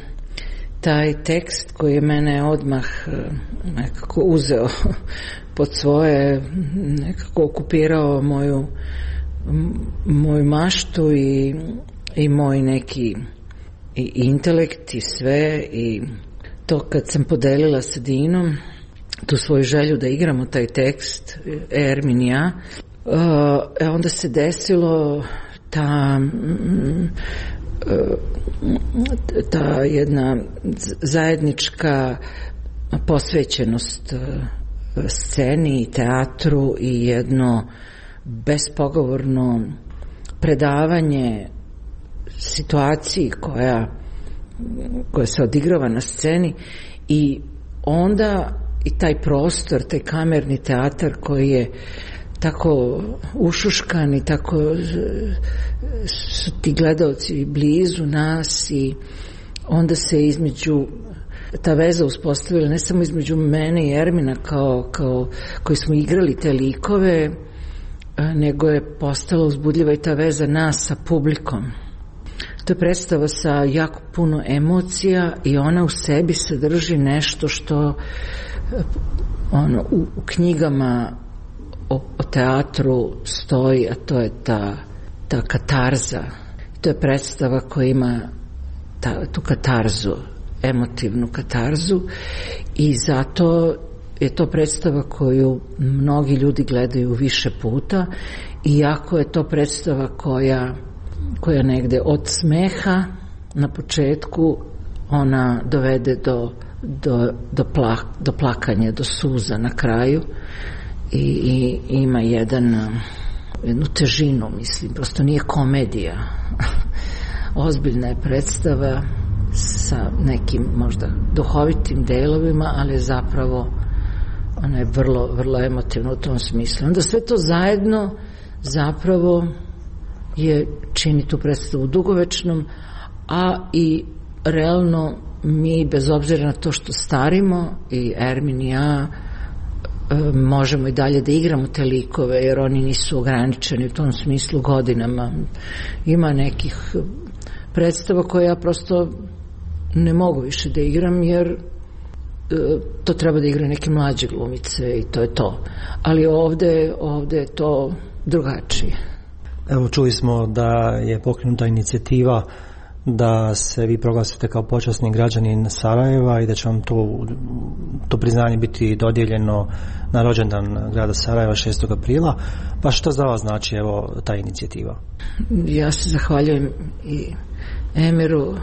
Speaker 14: taj tekst koji je mene odmah nekako uzeo pod svoje, nekako okupirao moju maštu i moj neki i intelekt i sve, i to kad sam podelila sa Dinom tu svoju želju da igramo taj tekst, Ermin i ja, onda se desilo ta jedna zajednička posvećenost sceni i teatru i jedno bespogovorno predavanje situaciji koja se odigrava na sceni i onda i taj prostor, taj kamerni teatar koji je tako ušuškan i tako su ti gledaoci blizu nas i onda se između ta veza uspostavila ne samo između mene i Ermina koji smo igrali te likove, nego je postala uzbudljiva i ta veza nas sa publikom. To je predstava sa jako puno emocija i ona u sebi sadrži nešto što u knjigama o teatru stoji, a to je ta katarza. To je predstava koja ima tu katarzu, emotivnu katarzu i zato je to predstava koju mnogi ljudi gledaju više puta, iako je to predstava koja negde od smeha na početku ona dovede do plakanja, do suza na kraju i ima jednu težinu, mislim, prosto nije komedija. Ozbiljna je predstava sa nekim možda duhovitim delovima, ali zapravo ona je vrlo, vrlo emotivna u tom smislu. Onda sve to zajedno zapravo čini tu predstavu dugovečnom, a i realno mi, bez obzira na to što starimo, i Ermin i ja, možemo i dalje da igramo te likove, jer oni nisu ograničeni u tom smislu godinama. Ima nekih predstava koje ja prosto ne mogu više da igram, jer to treba da igra neke mlađe glumice i to je to. Ali ovde je to drugačije.
Speaker 12: Evo, čuli smo da je pokrenuta inicijativa da se vi proglasite kao počasni građanin Sarajeva i da će vam to priznanje biti dodijeljeno na rođendan grada Sarajeva 6. aprila. Pa što za vas znači ta inicijativa?
Speaker 14: Ja se zahvaljujem i Emiru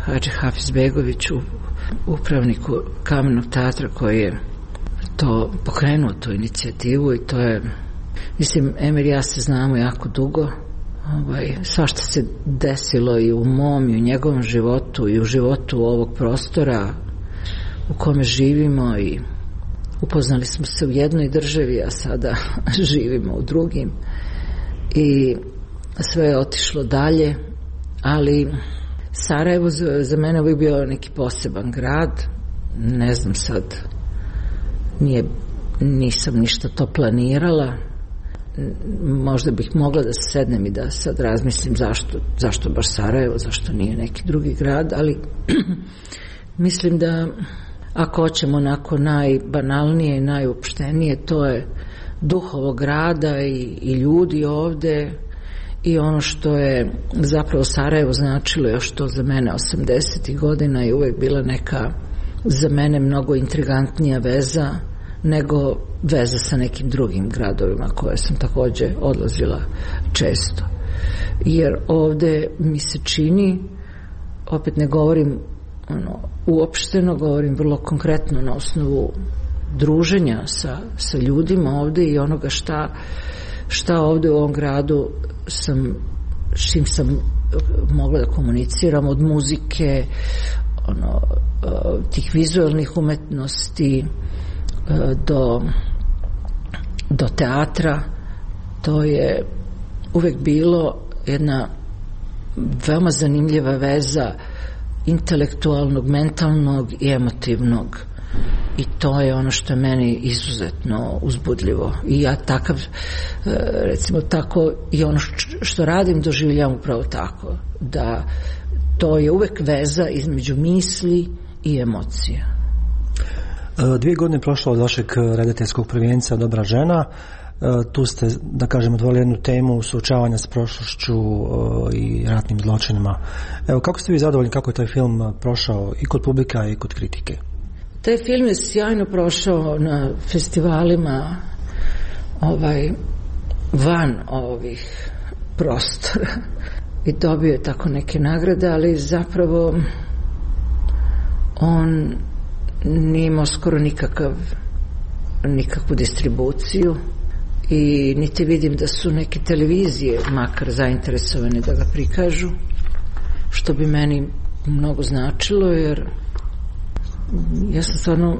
Speaker 14: Hadži Hafizbegoviću, upravniku Kamenog teatra, koji je to pokrenuo, tu inicijativu, i to je, mislim, Emir i ja se znamo jako dugo. Svašta se desilo i u mom i u njegovom životu i u životu ovog prostora u kome živimo, i upoznali smo se u jednoj državi, a sada živimo u drugim, i sve je otišlo dalje, ali Sarajevo za mene uvijek bio neki poseban grad. Ne znam sad, nisam ništa to planirala. Možda bih mogla da se sednem i da sad razmislim zašto baš Sarajevo, zašto nije neki drugi grad, ali mislim da ako hoćemo onako najbanalnije i najopštenije, to je duh ovog grada i ljudi ovde i ono što je zapravo Sarajevo značilo još to za mene 80. godina je uvek bila neka za mene mnogo intrigantnija veza nego veza sa nekim drugim gradovima koje sam takođe odlazila često. Jer ovde mi se čini, opet ne govorim uopšteno, govorim vrlo konkretno na osnovu druženja sa ljudima ovde i onoga šta ovde u ovom gradu s čim sam mogla da komuniciram, od muzike, tih vizualnih umetnosti do teatra. To je uvek bilo jedna veoma zanimljiva veza intelektualnog, mentalnog i emotivnog, i to je ono što je meni izuzetno uzbudljivo, i ja takav, recimo tako, i ono što radim doživljavam upravo tako, da to je uvek veza između misli i emocija.
Speaker 12: 2 godine prošlo od vašeg redateljskog prvenca Dobra žena. Tu ste, da kažem, otvorili jednu temu suočavanja s prošlošću i ratnim zločinima. Evo, kako ste vi zadovoljni kako je taj film prošao i kod publika i kod kritike?
Speaker 14: Taj film je sjajno prošao na festivalima van ovih prostora i dobio je tako neke nagrade, ali zapravo on nije imao skoro nikakvu distribuciju i niti vidim da su neke televizije makar zainteresovane da ga prikažu, što bi meni mnogo značilo, jer ja sam stvarno,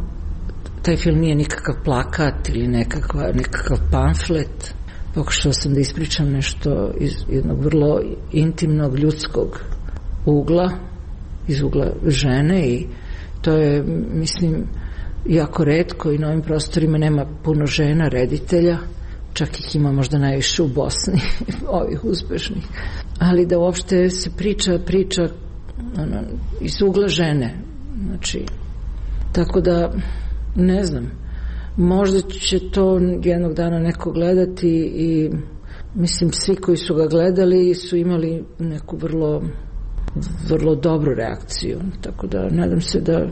Speaker 14: taj film nije nikakav plakat ili nekakav pamflet. Pokušala sam da ispričam nešto iz jednog vrlo intimnog ljudskog ugla, iz ugla žene, i to je, mislim, jako retko i na ovim prostorima nema puno žena reditelja, čak ih ima možda najviše u Bosni, ovih uspešnih, ali da uopšte se priča iz ugla žene, znači, tako da ne znam, možda će to jednog dana neko gledati i mislim svi koji su ga gledali su imali neku vrlo dobru reakciju, tako da nadam se da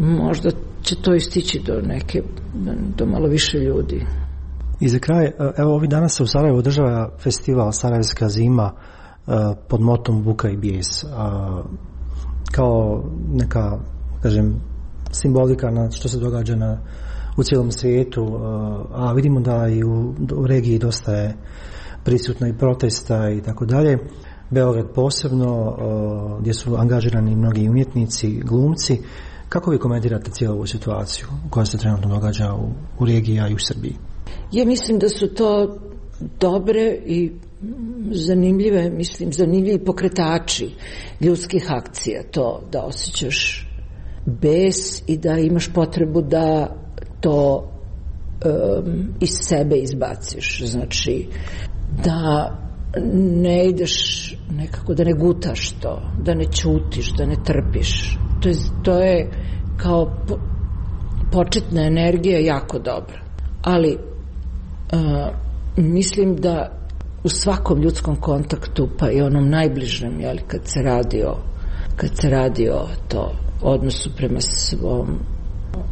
Speaker 14: možda će to istići do malo više ljudi.
Speaker 12: I za kraj, evo ovih dana se u Sarajevu održava festival Sarajevska zima pod motom Buka i bijes, kao neka, kažem, simbolika na što se događa u cijelom svijetu, a vidimo da i u regiji dosta je prisutno i protesta i tako dalje. Beograd posebno, gdje su angažirani mnogi umjetnici, glumci. Kako vi komentirate cijelu ovu situaciju koja se trenutno događa u regiji, a i u Srbiji?
Speaker 14: Ja mislim da su to dobre i zanimljivi pokretači ljudskih akcija, to da osjećaš bes i da imaš potrebu da to iz sebe izbaciš, znači da ne ideš nekako, da ne gutaš to, da ne ćutiš, da ne trpiš. To je kao početna energija jako dobra, ali mislim da u svakom ljudskom kontaktu, pa i onom najbližem, jeli, kad se radi o to odnosu prema svom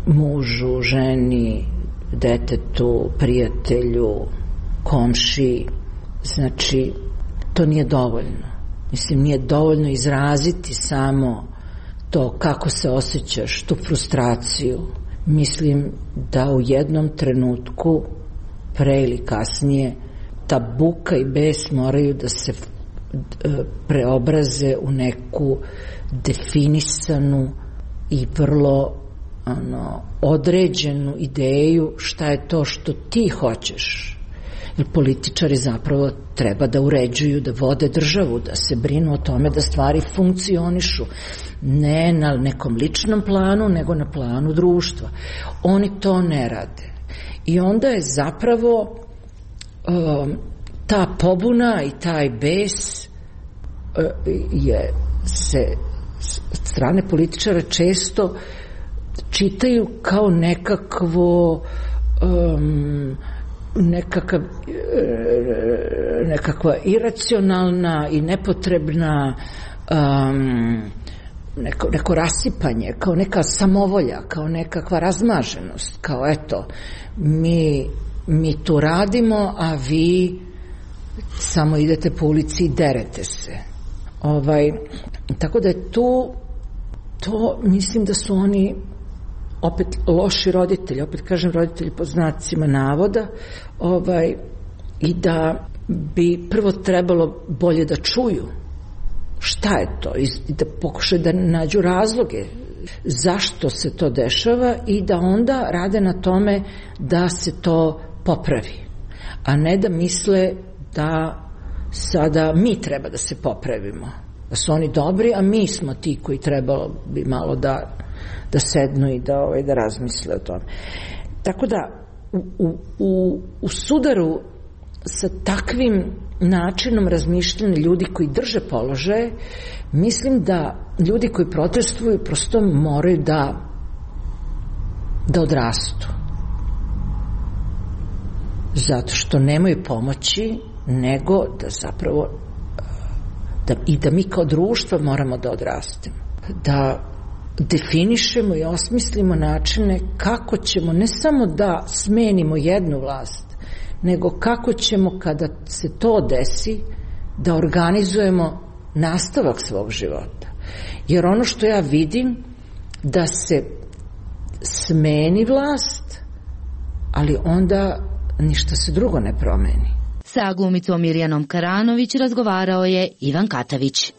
Speaker 14: mužu, ženi, detetu, prijatelju, komšiji, znači to nije dovoljno. Mislim, nije dovoljno izraziti samo to kako se osjećaš, tu frustraciju. Mislim da u jednom trenutku, pre ili kasnije, ta buka i bes moraju da se preobraze u neku definisanu i vrlo određenu ideju šta je to što ti hoćeš. Jer političari zapravo treba da uređuju, da vode državu, da se brinu o tome da stvari funkcionišu. Ne na nekom ličnom planu, nego na planu društva. Oni to ne rade. I onda je zapravo ta pobuna i taj bes se strane političara često čitaju kao nekakva iracionalna i nepotrebna neko rasipanje, kao neka samovolja, kao nekakva razmaženost, kao eto, mi tu radimo, a vi samo idete po ulici i derete se. Tako da je to mislim da su oni opet loši roditelji, opet kažem roditelji pod znacima navoda, i da bi prvo trebalo bolje da čuju šta je to i da pokušaju da nađu razloge zašto se to dešava i da onda rade na tome da se to popravi, a ne da misle da sada mi treba da se popravimo, da su oni dobri, a mi smo ti koji trebalo bi malo da sednu i da razmisle o tome. Tako da u sudaru sa takvim načinom razmišljanja ljudi koji drže položaje, mislim da ljudi koji protestuju prosto moraju da odrastu, zato što nemaju pomoći, nego da zapravo da mi kao društvo moramo da odrastemo, da definišemo i osmislimo načine kako ćemo ne samo da smenimo jednu vlast, nego kako ćemo kada se to desi da organizujemo nastavak svog života. Jer ono što ja vidim, da se smeni vlast, ali onda ništa se drugo ne promeni.
Speaker 11: Sa glumicom Mirjanom Karanović razgovarao je Ivan Katavić.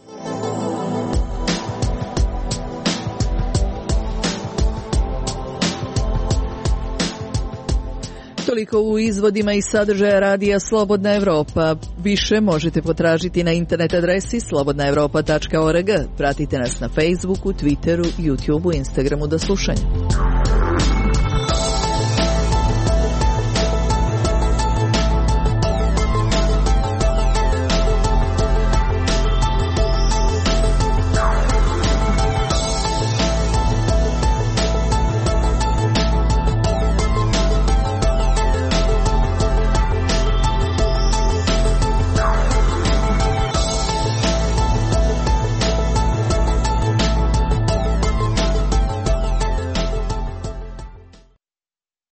Speaker 1: Toliko u izvodima i sadržaja radija Slobodna Evropa. Više možete potražiti na internet adresi slobodnaevropa.org. Pratite nas na Facebooku, Twitteru, YouTubeu, Instagramu. Do slušanja.